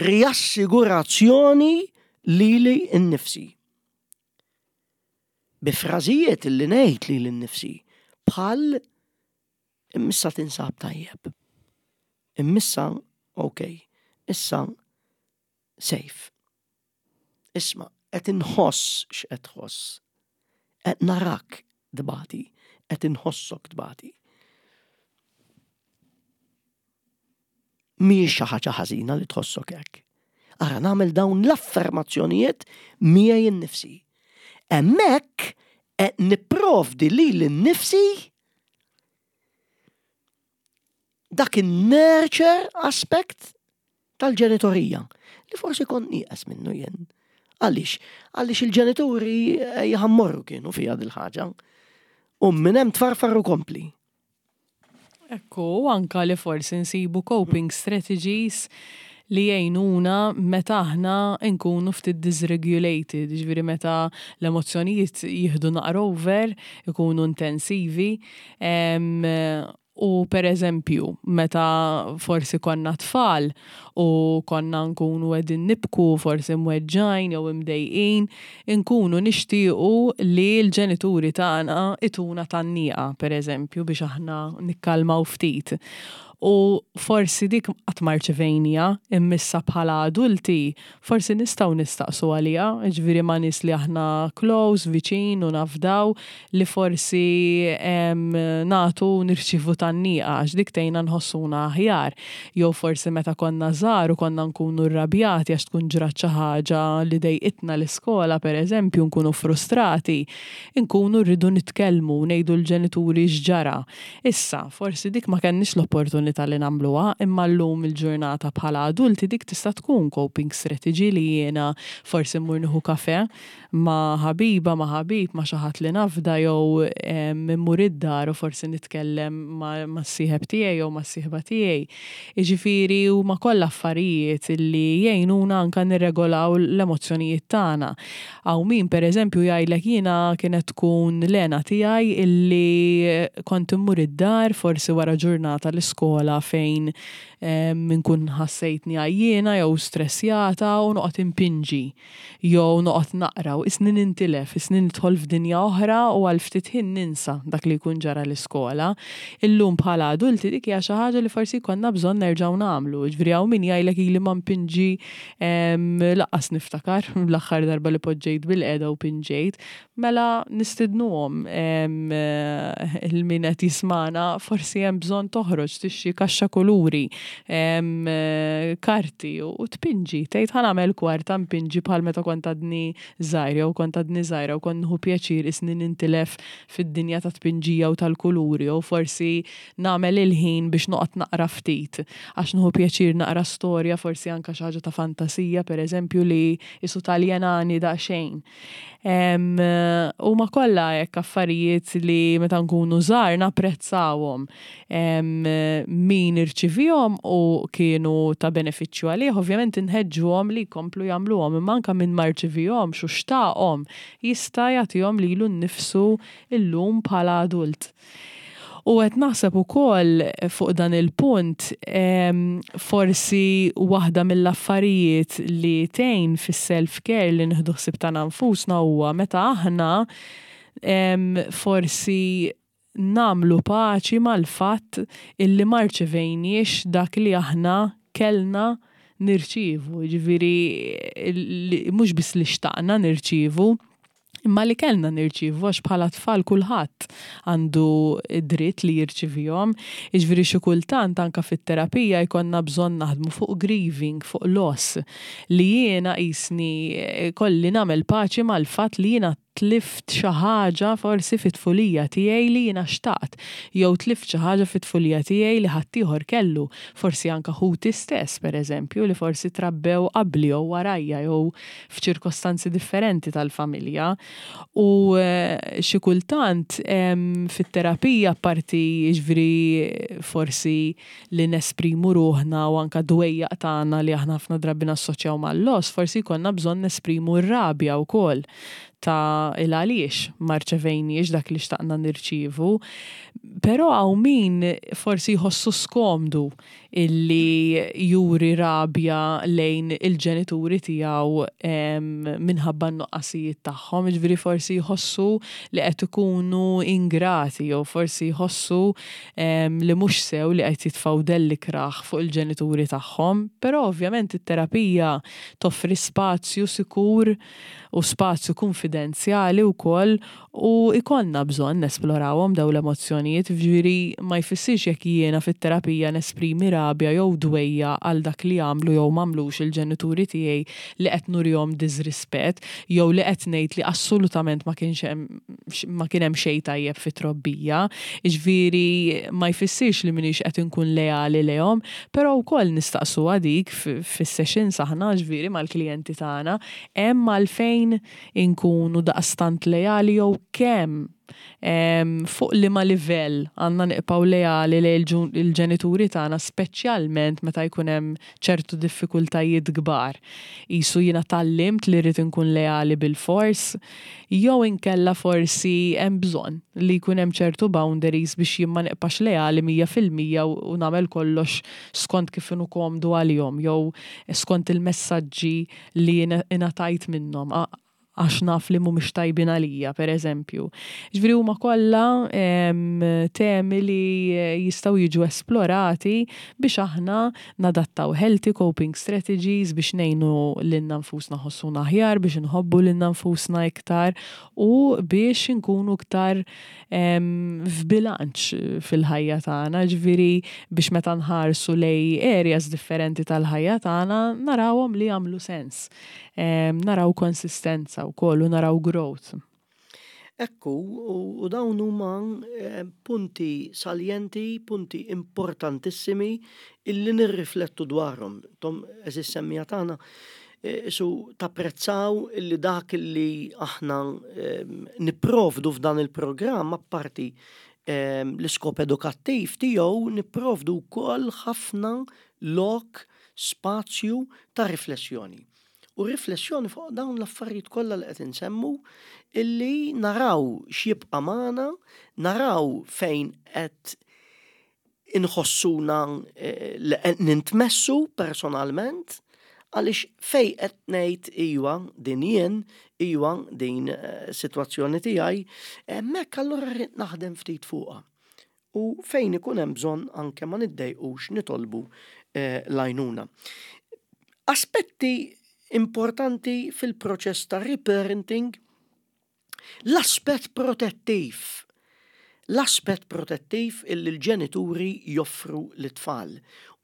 [SPEAKER 1] riassigurazzjoni lili nnifsi. Bi frażijiet li ngħid lili nnifsi bħal immissa tinsab tajjeb. Immissa ok, issa safe. Isma', qed inħoss x'qed tħoss. Qed narak tbati, qed inħossok tbati. Mhijiex xi ħaġa ħażina li tħossok hekk. Ara nagħmel dawn l-affermazzjonijiet miegħi nnifsi. Hemmhekk qed nipprovdi lili nnifsi Dak in-nurture aspect tal-ġenitorija li forsi kont nieqes minnu jien. Għaliex? Għaliex il-ġenituri eh, jħammorru kienu fija dil-ħaġa. U minn hemm tfarfar u kompli.
[SPEAKER 2] Ekku, anka li forsi nsibu coping strategies li jgħinuna meta aħna nkunu ftit dysregulated, ġifieri meta l-emozzjonijiet jieħdu naqra over, ikunu intensivi. U per eżempju, meta forsi konna tfal u konna nkunu qegħdin nibku, forsi mweġġgħin jew imdejqin, inkunu nixtiequ li l-ġenituri tagħna ituna tgħanniqa, per eżempju, biex aħna nikkalmaw ftit. U forsi dik qatt ma rċevejniha, imma issa bħala adulti forsi nistgħu nistaqsu għaliha, jiġifieri ma' nies li aħna close, viċin u nafdaw li forsi nagħtu u nirċievu tgħanniqa għax dik tgħinna nħossuna aħjar. Jew forsi meta konna żgħar u konna nkunu rrabjati għax tkun ġrat xi ħaġa li dejqitna l-iskola pereżempju nkunu frustrati, inkunu rridu nitkellmu u ngħidu l-ġenituri x'ġara. Issa, forsi dik ma kellniex l-opportunità li nagħmluha, imma llum il-ġurnata bħala adulti dik tista' tkun coping strategy li jiena forsi mmur nieħu kafè ma' ħabiba, ma' ħabib, ma' xi ħadd li nafda jew immur id-dar u forsi nitkellem mas-sieħeb tiegħi jew mas-sieħba tiegħi. Jiġifieri huma kollha affarijiet li jgħinuna anke nirregolaw l-emozzjonijiet tagħna. Hawn min per eżempju jgħidlek jiena kienet tkun l-hena tiegħi illi kont immur id-dar forsi wara ġurnata l-iskola fejn inkun ħassejtni għajjiena jew stressjata u noqgħod inpinġi jew noqgħod naqra u qisni nintilef, qisni nidħol f'dinja oħra u għal ftit ħin ninsa dak li jkun ġara l-iskola. Illum bħala adulti dik hija xi ħaġa li forsi jkollna bżonn nerġgħu nagħmlu. Jiġifieri hawn min jgħidlek ili ma npinġi Lanqas niftakar l-aħħar darba li poġġejt bilqiegħda u pinġejt. Mela nistidnuhom lil min qed jismagħna forsi hemm bżonn toħroġ tixtri kaxxa kuluri, karti u tpinġi. Tgħid ħa nagħmel kwarta npinġi bħal meta kont għadni żgħir jew kont għadni żgħira u kont nieħu pjaċir qisni nintilef fid-dinja tat-tpinġija u tal-kuluri jew forsi nagħmel il-ħin biex noqgħod naqra ftit, għax nieħu pjaċir naqra storja, forsi anke xi ħaġa ta' fantasija, pereżempju, li qisu taljenani daqsxejn. Huma kollha hekk affarijiet li meta nkunu żgħar napprezzawhom. Min irċivihom u kienu ta' benefiċċju għalih, ovvjament inħeġġuhom li jkomplu jagħmluhom, imma anke min ma rċivihomx u xtaqhom, jista' jagħtihom lilu nnifsu llum bħala adult. U qed naħseb ukoll fuq dan il-punt, forsi waħda mill-affarijiet li tgħin fis-self care li nieħdu ħsieb tagħna nfusna huwa meta aħna forsi nagħmlu paċi mal-fatt illi ma rċevejniex dak li aħna kellna nirċievu, jiġifieri mhux biss li xtaqna nirċievu, imma li kellna nirċievu għax bħala tfal kulħadd għandu dritt li jirċivihom. Jiġifieri xi kultant anke fit-terapija jkollna bżonn naħdmu fuq grieving, fuq loss, li jiena qisni kolli nagħmel paċi mal-fatt li jiena tlift xi ħaġa forsi fit-tfulija tiegħi li jiena xtaqt, jew tlift xi ħaġa fit-tfulija tiegħi li ħaddieħor kellu, forsi anke ħuti stess pereżempju li forsi trabbew qabli jew warajja jew f'ċirkostanzi differenti tal-familja u xi kultant fit-terapija apparti jiġifieri forsi li nesprimu ruħna u anke d-dwejjaq tagħna li aħna ħafna drabi nassoċjaw mal-loss, forsi jkollna bżonn nesprimu r-rabja wkoll ta' il-għaliex ma rċevejniex dak li xtaqna nirċievu. Però hawn min forsi jħossu skomdu illi juri rabja lejn il-ġenituri tiegħu minħabba n-nuqqasijiet tagħhom, jiġifieri forsi jħossu li qed ikunu ingrati jew forsi jħossu li mhux sew li qed jitfgħu dell ikrah fuq il-ġenituri tagħhom. Però ovvjament it-terapija toffri spazju sikur u spazju kunfidenzjali. kunfidenzjali wkoll u jkollna bżonn nesplorawhom dawn l-emozzjonijiet, jiġifieri ma jfissirx jekk jiena fit-terapija nesprimi rabja jew dwejjaq għal dak li għamlu jew m'għamlux il-ġenituri tiegħi li qed nurihom diżrispett jew li qed ngħid li assolutament ma kienx hemm ma kien hemm xejn tajjeb fit-trobbija. Jiġifieri ma jfissirx li m'iniex qed inkun leali lejhom, però wkoll nistaqsuha dik fis-sessions aħna jiġifieri mal-klijenti tagħna, hemm għalfejn inkunu daqstant leali jew kemm fuq liema livell għandna nibqgħu leali lejn il-ġenituri tagħna speċjalment meta jkun hemm ċertu diffikultajiet kbar. Qisu jiena tgħallimt li rrid inkun leali bilfors jew inkella forsi hemm bżonn li jkun hemm ċertu boundaries biex jien ma nibqax leali 100% u nagħmel kollox skont kif inhu komdu għalihom jew skont il-messaġġi li ingħatajt minnhom għax naf li mhumiex tajbin għalija, per eżempju. Ġifieri huma kollha temi li jistgħu jiġu esplorati biex aħna nadattaw healthy coping strategies biex ngħinu lilna nfusna nħossuna aħjar, biex inħobbu lilna nfusna iktar u biex inkunu iktar f'bilanċ fil-ħajja tagħna, ġifieri biex meta nħarsu lej areas differenti tal-ħajja tagħna narawhom li jagħmlu sens. Naraw konsistenza wkoll u naraw growth.
[SPEAKER 1] Ekku, u dawn huma punti saljenti, punti importantissimi illi nirriflettu dwarhom. Tom, eżis semmija tagħna, Su tapprezzaw li dak li aħna nipprovdu f'dan il-programm apparti l-iskop edukattiv tiegħu nipprovdu wkoll ħafna lok, spazju ta' riflessjoni. U riflessjoni fuq dawn l-affarijiet kollha li qed insemmu illi naraw x'jibqa' magħna, naraw fejn qed inħossuna li qed nintmessu personalment għaliex fejn qed ngħid iwa din jien, iwa din sitwazzjoni tiegħi, hemmhekk allura rrid naħdem ftit fuqha. U fejn ikun hemm bżonn anke ma niddejqux nitolbu l-għajnuna. Aspetti importanti fil-proċess ta' reparenting. L-aspett protettiv. L-aspett protettiv illi l-ġenituri joffru lit-tfal.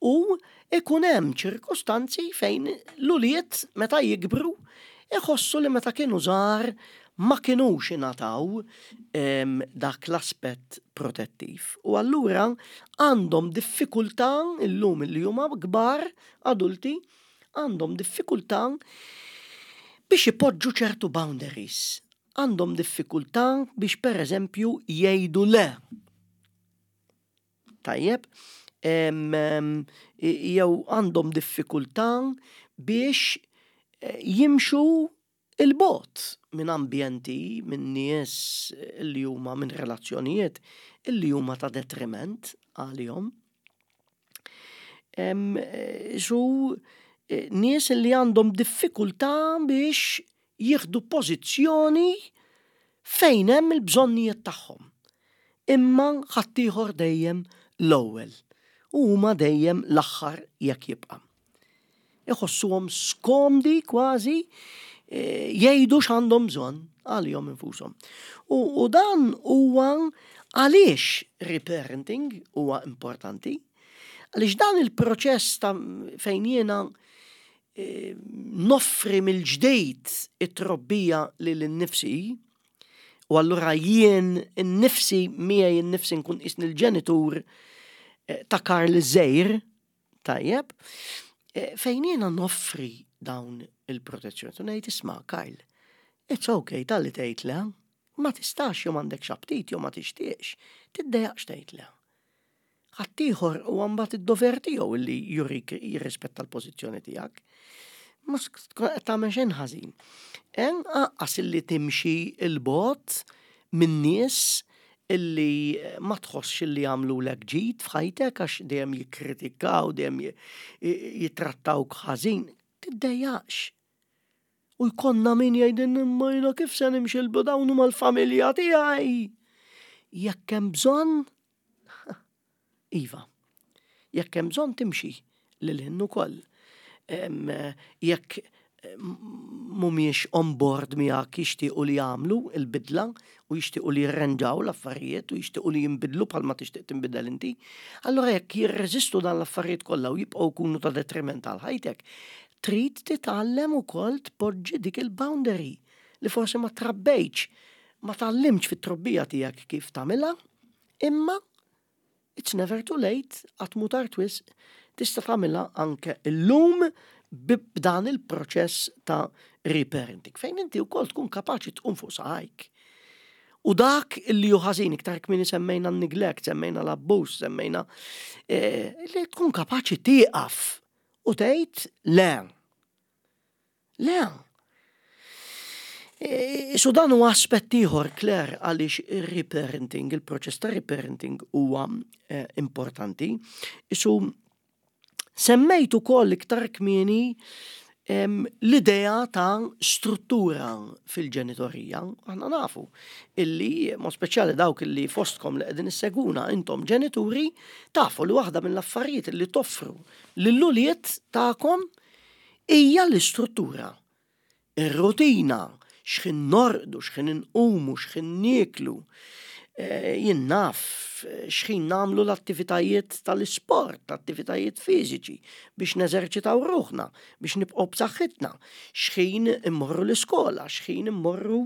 [SPEAKER 1] U ikun hemm ċirkustanzi fejn l-ulied meta jikbru iħossu li meta kienu żgħar ma kinux ingħataw dak l-aspett protettiv. U allura għandhom diffikultà illum illi huma kbar, adulti, għandhom diffikultà biex ipoġġu ċertu boundaries. Għandhom diffikultà biex pereżempju jgħidu le. Tajjeb, jew għandhom diffikultà biex eh, jimxu il-bot minn ambjenti, minn nies li huma minn relazzjonijiet illi huma ta' detriment għalihom. Su eh, nies li għandhom diffikultà biex jieħdu pożizzjoni fejn hemm il-bżonnijiet tagħhom. Imma ħaddieħor dejjem l-ewwel u huma dejjem l-aħħar jekk jibqa'. Iħossuhom skomdi kważi eh, jgħidu x'għandhom bżonn għalihom infushom. U, u dan huwa għaliex reparenting huwa importanti. Għaliex dan il-proċess ta' fejn jiena eh, noffri mill-ġdejt it-trobbija lil innifsi, u allura jien innifsi miegħi innifsi nkun qisni l-ġenitur eh, ta' Karl Zejr, Tajjeb, eh, fejn jiena noffri dawn il-protezzjoni. U ngħid isma' Kyle, it's okay talli tgħid le, ma tistax jew m'għandekx aptit jew ma tixtieqx, tiddejjaqx tgħid le. Ħaddieħor huwa mbagħad id-dover tiegħu li jurik jirrispetta l-pożizzjoni tiegħek. Ma tkun qed tagħmel xejn ħażin. Anqas illi timxi l-bogħod minn nies illi ma tħossx illi jagħmlulek ġid f'ħajtek għax dejjem jikkritikaw, dejjem jittrattawk ħażin, tiddejjaqx. U jkollna min jgħidilna imma jiena kif se nimxi l dawn huma l-familja tiegħi. Jekk hemm bżonn, iva. Jekk hemm bżonn timxi lil hinn ukoll. Jekk mhumiex on board miegħek jixtiequ li jagħmlu l-bidla u jixtiequ li jirrenġaw l-affarijiet u jixtiequ li jinbidlu bħalma tixtieq tinbidel inti, allura jekk jirreżistu dan l-affarijiet kollha u jibqgħu jkunu ta' detriment għal ħajtek, trid titgħallem ukoll tpoġġi dik il-boundary li forsi ma trabbejtx, ma tgħallimtx fit-trobbija tiegħek kif tagħmilha, imma It's never too late, qatt mhu tard wisq, tista' tagħmilha anke llum b'dan il-proċess ta' reparenting, fejn inti wkoll tkun kapaċi tqum fuq saqajk. U dak li hu ħażin iktar kmieni semmejna n-neglect, semmejna l-abbuż, semmejna eh, li tkun kapaċi tieqaf u tgħid le. Le. E, so dan huwa aspett ieħor, Claire, għaliex ir-reparenting, il-proċess ta' reparenting huwa eh, importanti. Isu semmejt ukoll iktar kmieni l-idea ta' struttura fil-ġenitorija. Aħna nafu illi, mod speċjali dawk illi fostkom li qegħdin isseguna intom ġenituri, tafu li waħda mill-affarijiet li toffru lill-ulied tagħkom Hija l-istruttura, ir-rutina, x'ħin norqdu, x'ħin inqumu, x'ħin nieklu, jien naf, x'ħin nagħmlu l-attivitajiet tal-isport, attivitajiet fiżiċi biex neżerċitaw ruħna, biex nibqgħu b'saħħitna, x'ħin immorru l-iskola, x'ħin immorru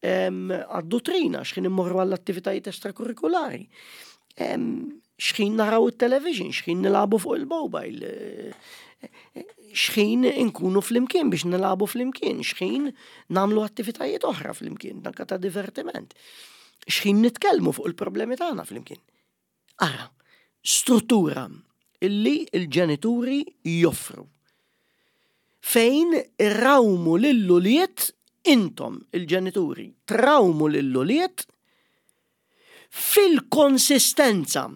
[SPEAKER 1] għad-dutrina, x'ħin immorru għall-attivitajiet estrakurrikulari. X'ħin naraw it-television, x'ħin nilagħbu fuq il-mobile, x'ħin inkunu flimkien biex nilagħbu flimkien, x'ħin nagħmlu attivitajiet oħra flimkien, anke ta' divertiment. X'ħin nitkellmu fuq il-problemi tagħna flimkien. Ara, struttura illi l-ġenituri joffru. Fejn irrawmu lill-ulied intom il-ġenituri, trawmu lill-ulied fil-konsistenza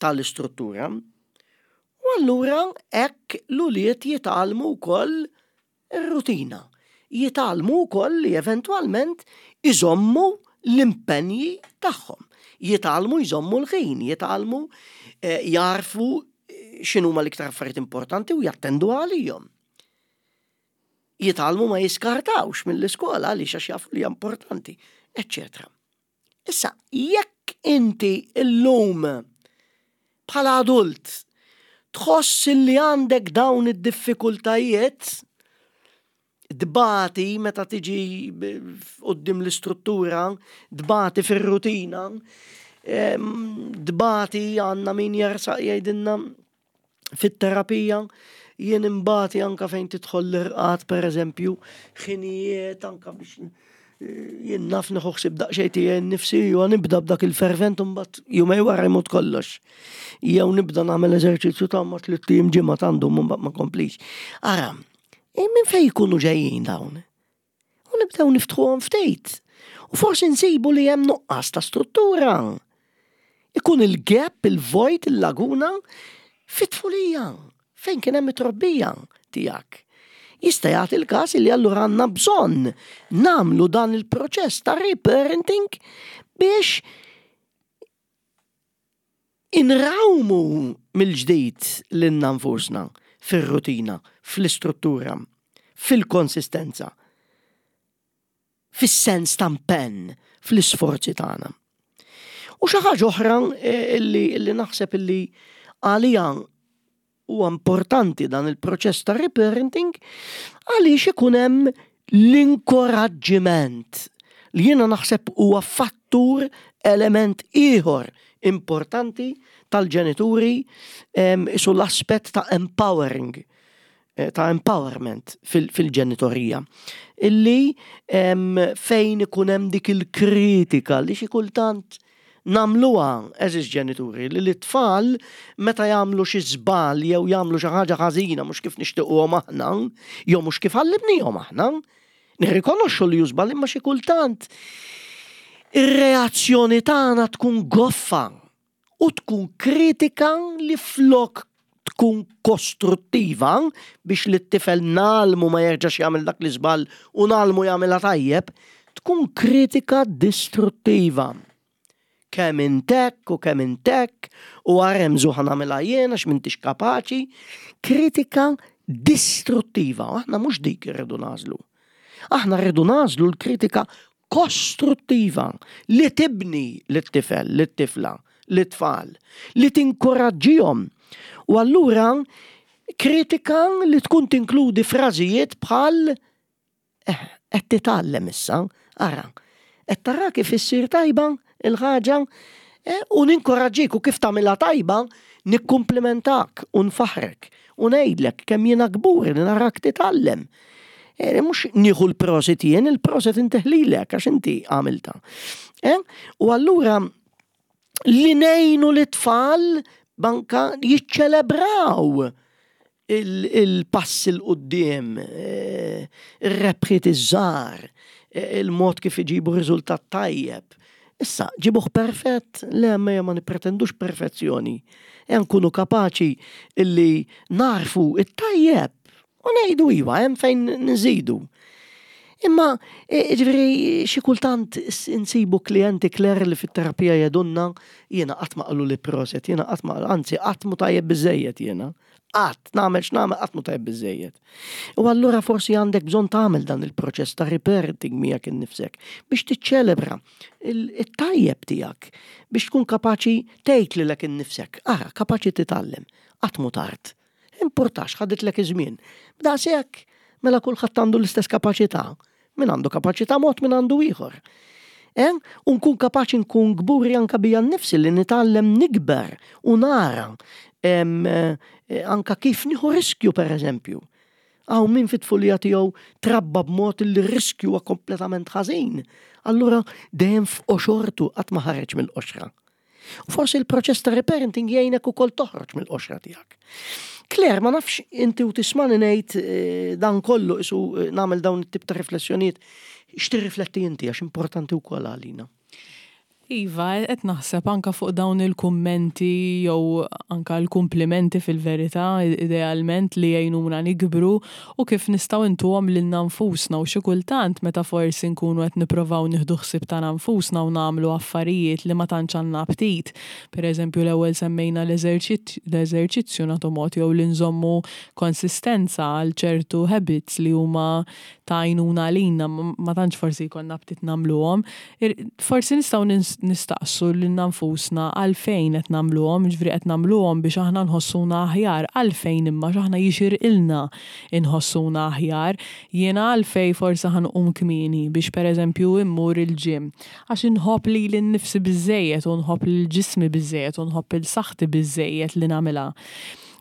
[SPEAKER 1] tal-istruttura u allura hekk l-ulied jitgħallmu wkoll ir-rutina, jitgħallmu wkoll li eventwalment iżommu l-impenji tagħhom, jitgħallmu jżommu l-ħin, jitgħallmu eh, jagħrfu eh, x'inhuma l-iktar affarijiet importanti u jattendu għalihom. Jitgħallmu ma jiskartawx mill-iskola għaliex għax jafu li hija importanti, eċċetera. Issa, jekk inti llum bħala adult tħoss li għandek dawn id-diffikultajiet, tbati meta tiġi quddiem l-istruttura, tbati fir-rutina, tbati għandna min jersaq jgħidilna fit-terapija jien imbati anka fejn tidħol l-irqad pereżempju, ħinijiet anka biex eh, jien naf nieħu ħsieb daqsxejn tiegħi nnifsi u nibda b'dak il-fervent u mbagħad jumej wara jmut kollox. Jew nibda nagħmel eżerċizzju ta' ma tliet ijiem ġimgħa għandhom u mbagħad ma komplix. Ara, eh, minn fejn jkunu ġejjin dawn? U nibdew niftħuhom ftit. U forsi nsibu li hemm nuqqas ta' struttura. Ikun il-gap, il-vojt, il-laguna fit-tfulija fejn kien hemm it-trobbija tiegħek. Jista' jagħti l-każ li allura għandna bżonn nagħmlu dan il-proċess ta' reparenting biex Inrawmu mill-ġdid lilna nfusna fir-rutina, fl-istruttura, fil-konsistenza, fis-sens ta' impenn, fl-isforzi tagħna. U xi ħaġa oħra eh, illi, illi naħseb illi għalija Huwa importanti dan il-proċess ta' reparenting għaliex ikun hemm l-inkoraġġiment li jiena naħseb huwa fattur element ieħor importanti tal-ġenituri isu l-aspett ta' empowering eh, ta' empowerment fil-ġenitorija. Illi fejn ikun hemm dik il-kritika li xi kultant Nagħmluha, għeżież ġenituri, li lit-tfal meta jagħmlu xi żball jew jagħmlu xi ħaġa ħażina mhux kif nixtiequhom aħna, jew mhux kif għallimnihom aħna, nirrikonoxxu li hu żball imma xi kultant ir-reazzjoni tagħna tkun goffa u tkun kritika li flok tkun kostruttiva biex lit-tifel ngħallmu ma jerġax jagħmel dak l-iżball u ngħallmu jagħmilha tajjeb, tkun kritika distruttiva. Kemm int hekk u kemm int hekk u ara hemm żu ħa nagħmilha jien għax m'intix kapaċi. Kritika distruttiva. Aħna mhux dik irridu nagħżlu. Aħna rridu nagħżlu l-kritika kostruttiva li tibni lit-tifel, lit-tifla, lit-tfal, li tinkoraġġihom. U allura kritika li tkun tinkludi frażijiet bħal eh, qed titgħallem issa, ara, qed tara kif issir tajba il-ħaġa eh, u ninkoraġġik u kif tagħmilha tajba nikkumplimentak u nfaħrek u ngħidlek kemm jiena kburi li narak titgħallem. Eh, mhux nieħu l-prosit jien, il-prosit inteħlilek għax inti għamilta. Eh, u allura li ngħinu l-tfal banka jiċċelebraw il-pass 'il quddiem, eh, ir-rebħiet iż-żgħar, il-mod kif iġibu riżultat tajjeb. Issa, ġibuh perfett, le ma ma nipretendux perfezzjoni. E nkunu kapaċi illi narfu it-tajjeb u ngħidu iva, hemm fejn nżidu. Imma, e, ġifieri, xi kultant insibu klijenti Claire li fit-terapija jgħidulna jiena qatt ma qaluli proset, jiena qatt ma anzi qatt mu tajjeb biżejjed jiena. Qatt nagħmel x'nagħmel qatt mu tajjeb biżejjed. U allura forsi għandek bżonn tagħmel dan il-proċess ta' reparenting miegħek innifsek biex tiċċelebra it-tajjeb tiegħek biex tkun kapaċi tgħid lilek innifsek, ara kapaċi titgħallem, qatt mu tard. Importax ħaditlek iż-żmien. B'daqshekk mela kulħadd għandu l-istess kapaċità. Min għandu kapaċità mod min għandu ieħor. Eh? U nkun kapaċi nkun kburi anka bija nnifsi li nitgħallem nikber u nara eh, anka kif nieħu riskju per eżempju. Hawn min fit-tfulija tiegħu trabba b'mod li r-riskju huwa kompletament ħażin. Allura dejjem f'qoxortu qatt ma ħareġ mill-qoxra. U forsi l-proċess ta' reparenting jgħinek ukoll toħroġ mill-qoxra tiegħek. Claire, ma nafx inti u tismani ngħid eh, dan kollu isu eh, nagħmel dawn it-tip ta' riflessjonijiet, x'tirrifletti inti għax importanti wkoll għalina.
[SPEAKER 2] Iva, qed naħseb anka fuq dawn il-kummenti jew anka l-kumplimenti fil-verità, idealment li jgħinuna nikbru u kif nistgħu ntuhom lilna nfusna u xi kultant meta forsi nkunu qed nipprovaw nieħdu ħsieb tagħna nfusna u nagħmlu affarijiet li ma tantx għandna aptit. Per eżempju l-ewwel semmejna l-eżerċizzju nagħtu mod jew li nżommu konsistenza għal ċertu habits li huma ta' għajnuna għalina ma tantx forsi jkollna aptit nagħmluhom. Forsi nistgħu nistaqsu lilna nfusna għalfejn qed nagħmluhom, jiġifieri qed nagħmluhom biex aħna nħossuna aħjar, għalfejn imma għax aħna jixirqilna nħossuna aħjar. Jiena għalfejn forsi ħa nqum kmieni biex pereżempju immur il-gym? Għax inħobb lili nnifsi biżżejjed u nħobb lil ġismi biżżejjed u nħobb 'il saħħti biżżejjed li nagħmilha.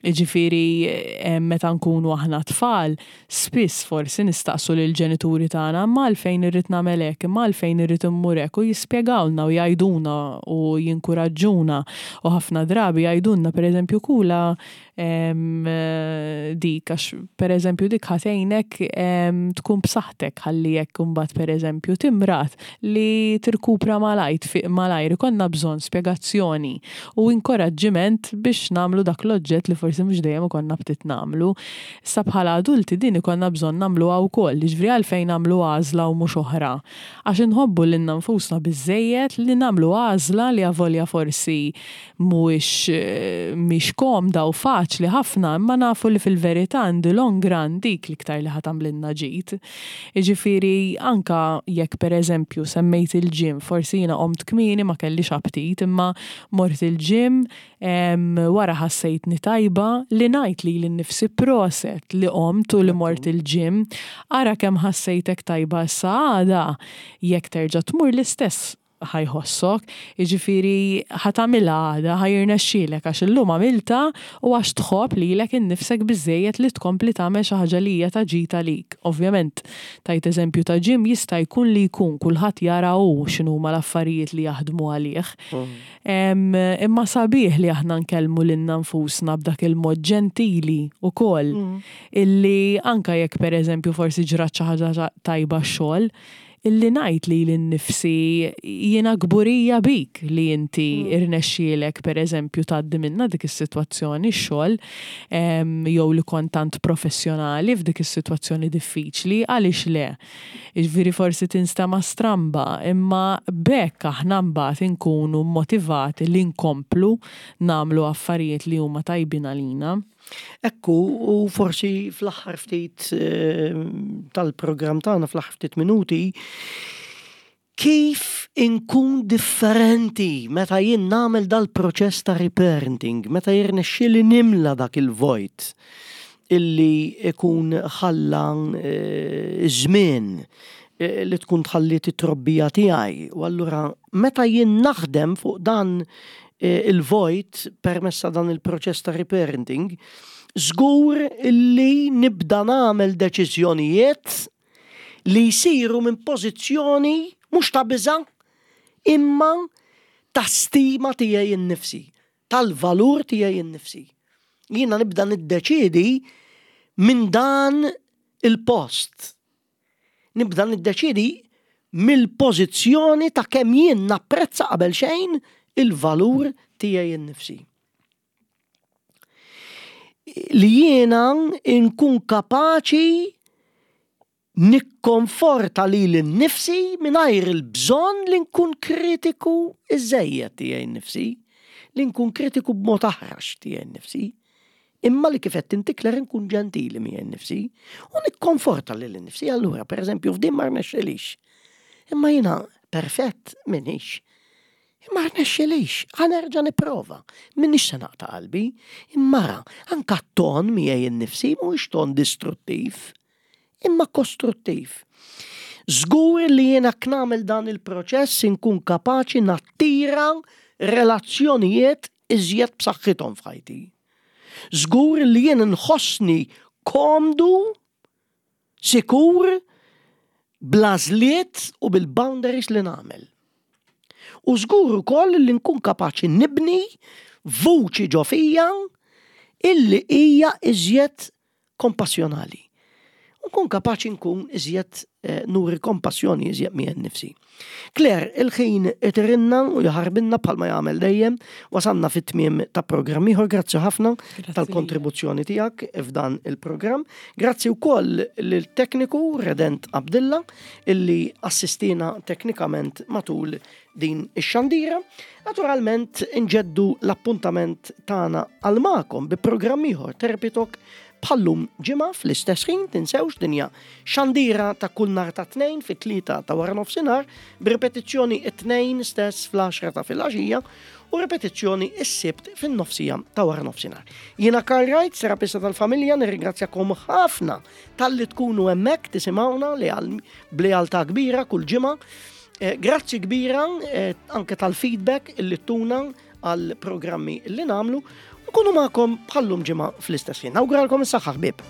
[SPEAKER 2] Jiġifieri meta nkunu aħna tfal, spiss forsi nistaqsu lill-ġenituri tagħna imma għalfejn irrid nagħmel hekk, imma għalfejn irrid immur hekk u jispjegawlna u jgħiduna u jinkuraġġuna u ħafna drabi jgħidulna pereżempju kula dik għax pereżempju dik ħa tgħinek tkun b'saħħtek ħalli jekk imbagħad pereżempju timrad li tirkupra malajr, tfiq malajr, ikollna bżonn spjegazzjoni u inkoraġġiment biex nagħmlu dak l-oġġett li forsi mhux dejjem ikollna aptit nagħmlu. Issa bħala adulti din ikollna bżonn nagħmluha wkoll, jiġifieri għalfejn nagħmlu għażla u mhux oħra? Għax inħobbu lilna nfusna biżżejjed li nagħmlu għażla li avolja forsi mhuwiex mhix komda u faċli ħafna imma nafu li fil-verità in the long run dik l-iktar li ħa tagħmlilna ġid. Jiġifieri anke jekk pereżempju semmejt il-gym, forsi jiena qomt kmieni ma kellix aptit imma mort il-gym, wara ħassejtni tajba li ngħid lili nnifsi proset li qomt u li mort il-gym, ara kemm ħassejtek tajba issa għada jekk terġa' tmur l-istess ħa jħossok, jiġifieri ħa tagħmilha għada, ħa jirnexxielek għax illum għamiltha u għax tħobb lilek innifsek biżżejjed li tkompli tagħmel xi ħaġa li hija ta' ġid għalik. Ovvjament, tajt eżempju ta' gym jista' jkun li jkun, kulħadd jara hu x'inhuma l-affarijiet li jaħdmu għalih. Imma sabiħ li aħna nkellmu lilna nfusna b'dak il-mod ġentili wkoll illi anke jekk pereżempju forsi ġrat xi ħaġa tajba x-xogħol, Illi ngħid lili nnifsi jiena kburija bik li inti rnexxielek pereżempju tgħaddi minnha dik is-sitwazzjoni x-xogħol jew li kont tant professjonali f'dik is-sitwazzjoni diffiċli, għaliex le? Jiġifieri forsi tinstema' stramba imma b'hekk aħna mbagħad inkunu motivati li nkomplu nagħmlu affarijiet li huma tajbin għalina.
[SPEAKER 1] Ekku, u forsi fl-aħħar ftit eh, tal-programm tagħna fl-aħħar ftit minuti, kif inkun differenti meta jien nagħmel dal-proċess ta' reparenting, meta jirnexxieli nimla dak il-vojt illi ikun ħalla eh, żmien eh, li tkun tħalliet it-trobbija tiegħi. U allura meta jien naħdem fuq dan eh, il-vojt permezz ta' dan il-proċess ta' reparenting, żgur illi nibda nagħmel deċiżjonijiet li jsiru minn pożizzjoni mhux ta' biża' imma ta' stima tiegħi nnifsi, tal-valur tiegħi nnifsi. Jiena nibda niddeċiedi minn dan il-post. Nibda niddeċiedi mill-pożizzjoni ta' kemm jien napprezza qabel xejn il-valur tiegħi nnifsi. Li jiena nkun kapaċi nikkonforta lili nnifsi mingħajr il-bżonn li nkun kritiku iżżejjed tiegħi nnifsi, li nkun kritiku b'mod aħrax tiegħi nnifsi, imma li kif qed inti Claire nkun ġentili miegħi nnifsi u nikkonforta lili nnifsi. Allura, pereżempju, f'din ma rnexxilix. Imma jiena perfett m'iniex. Imma rnexxilix, ħa nerġa' nipprova. M'iniex se naqta' qalbi. Imma ara, anke t-ton miegħi nnifsi mhuwiex ton distruttiv, imma kostruttiv. Żgur li jiena jekk nagħmel dan il-proċess inkun kapaċi nattira relazzjonijiet iżjed b'saħħithom f'ħajti. Żgur li jien nħossni komdu, sikur, bl-għażliet u bil-boundaries li nagħmel. U żgur ukoll li nkun kapaċi nibni vuċi ġo fija illi hija iżjed kompassjonali. Nkun kapaċi nkun iżjed eh, nuri kompassjoni iżjed miegħi nnifsi. Claire, il-ħin itirinna u jaħarbinna bħalma jagħmel dejjem, wasalna fit-tmiem ta' programm ieħor, grazzi ħafna tal-kontribuzzjoni tiegħek f'dan il-programm. Grazzi wkoll lil-tekniku Redent Abdilla illi assistina teknikament matul din ix-xandira. Naturalment inġeddu l-appuntament tagħna għal magħkom bi programm ieħor Therapy Talk bħallum ġimgħa fl-istess ħin tinsewx din hija xandira ta' kull nhar ta' tnejn fit-tlieta ta' wara nofsinhar b'ripetizzjoni it-tnejn stess fl-10 ta' filgħaxija u ripetizzjoni s-sibt fin-nofsija ta' wara nofsinhar. Jiena Karl Wright, terapista tal-familja, nirringrazzjakom ħafna talli tkunu hemmhekk tisimgħuna li b'lealtà kbira kull ġimgħa. Eh, grazzi kbira eh, anke tal-feedback illi tuna għal programmi li namlu. Nkunu magħkom bħallum ġimgħa fl-istess ħin. Nawguralkom is-saħħa ħbieb.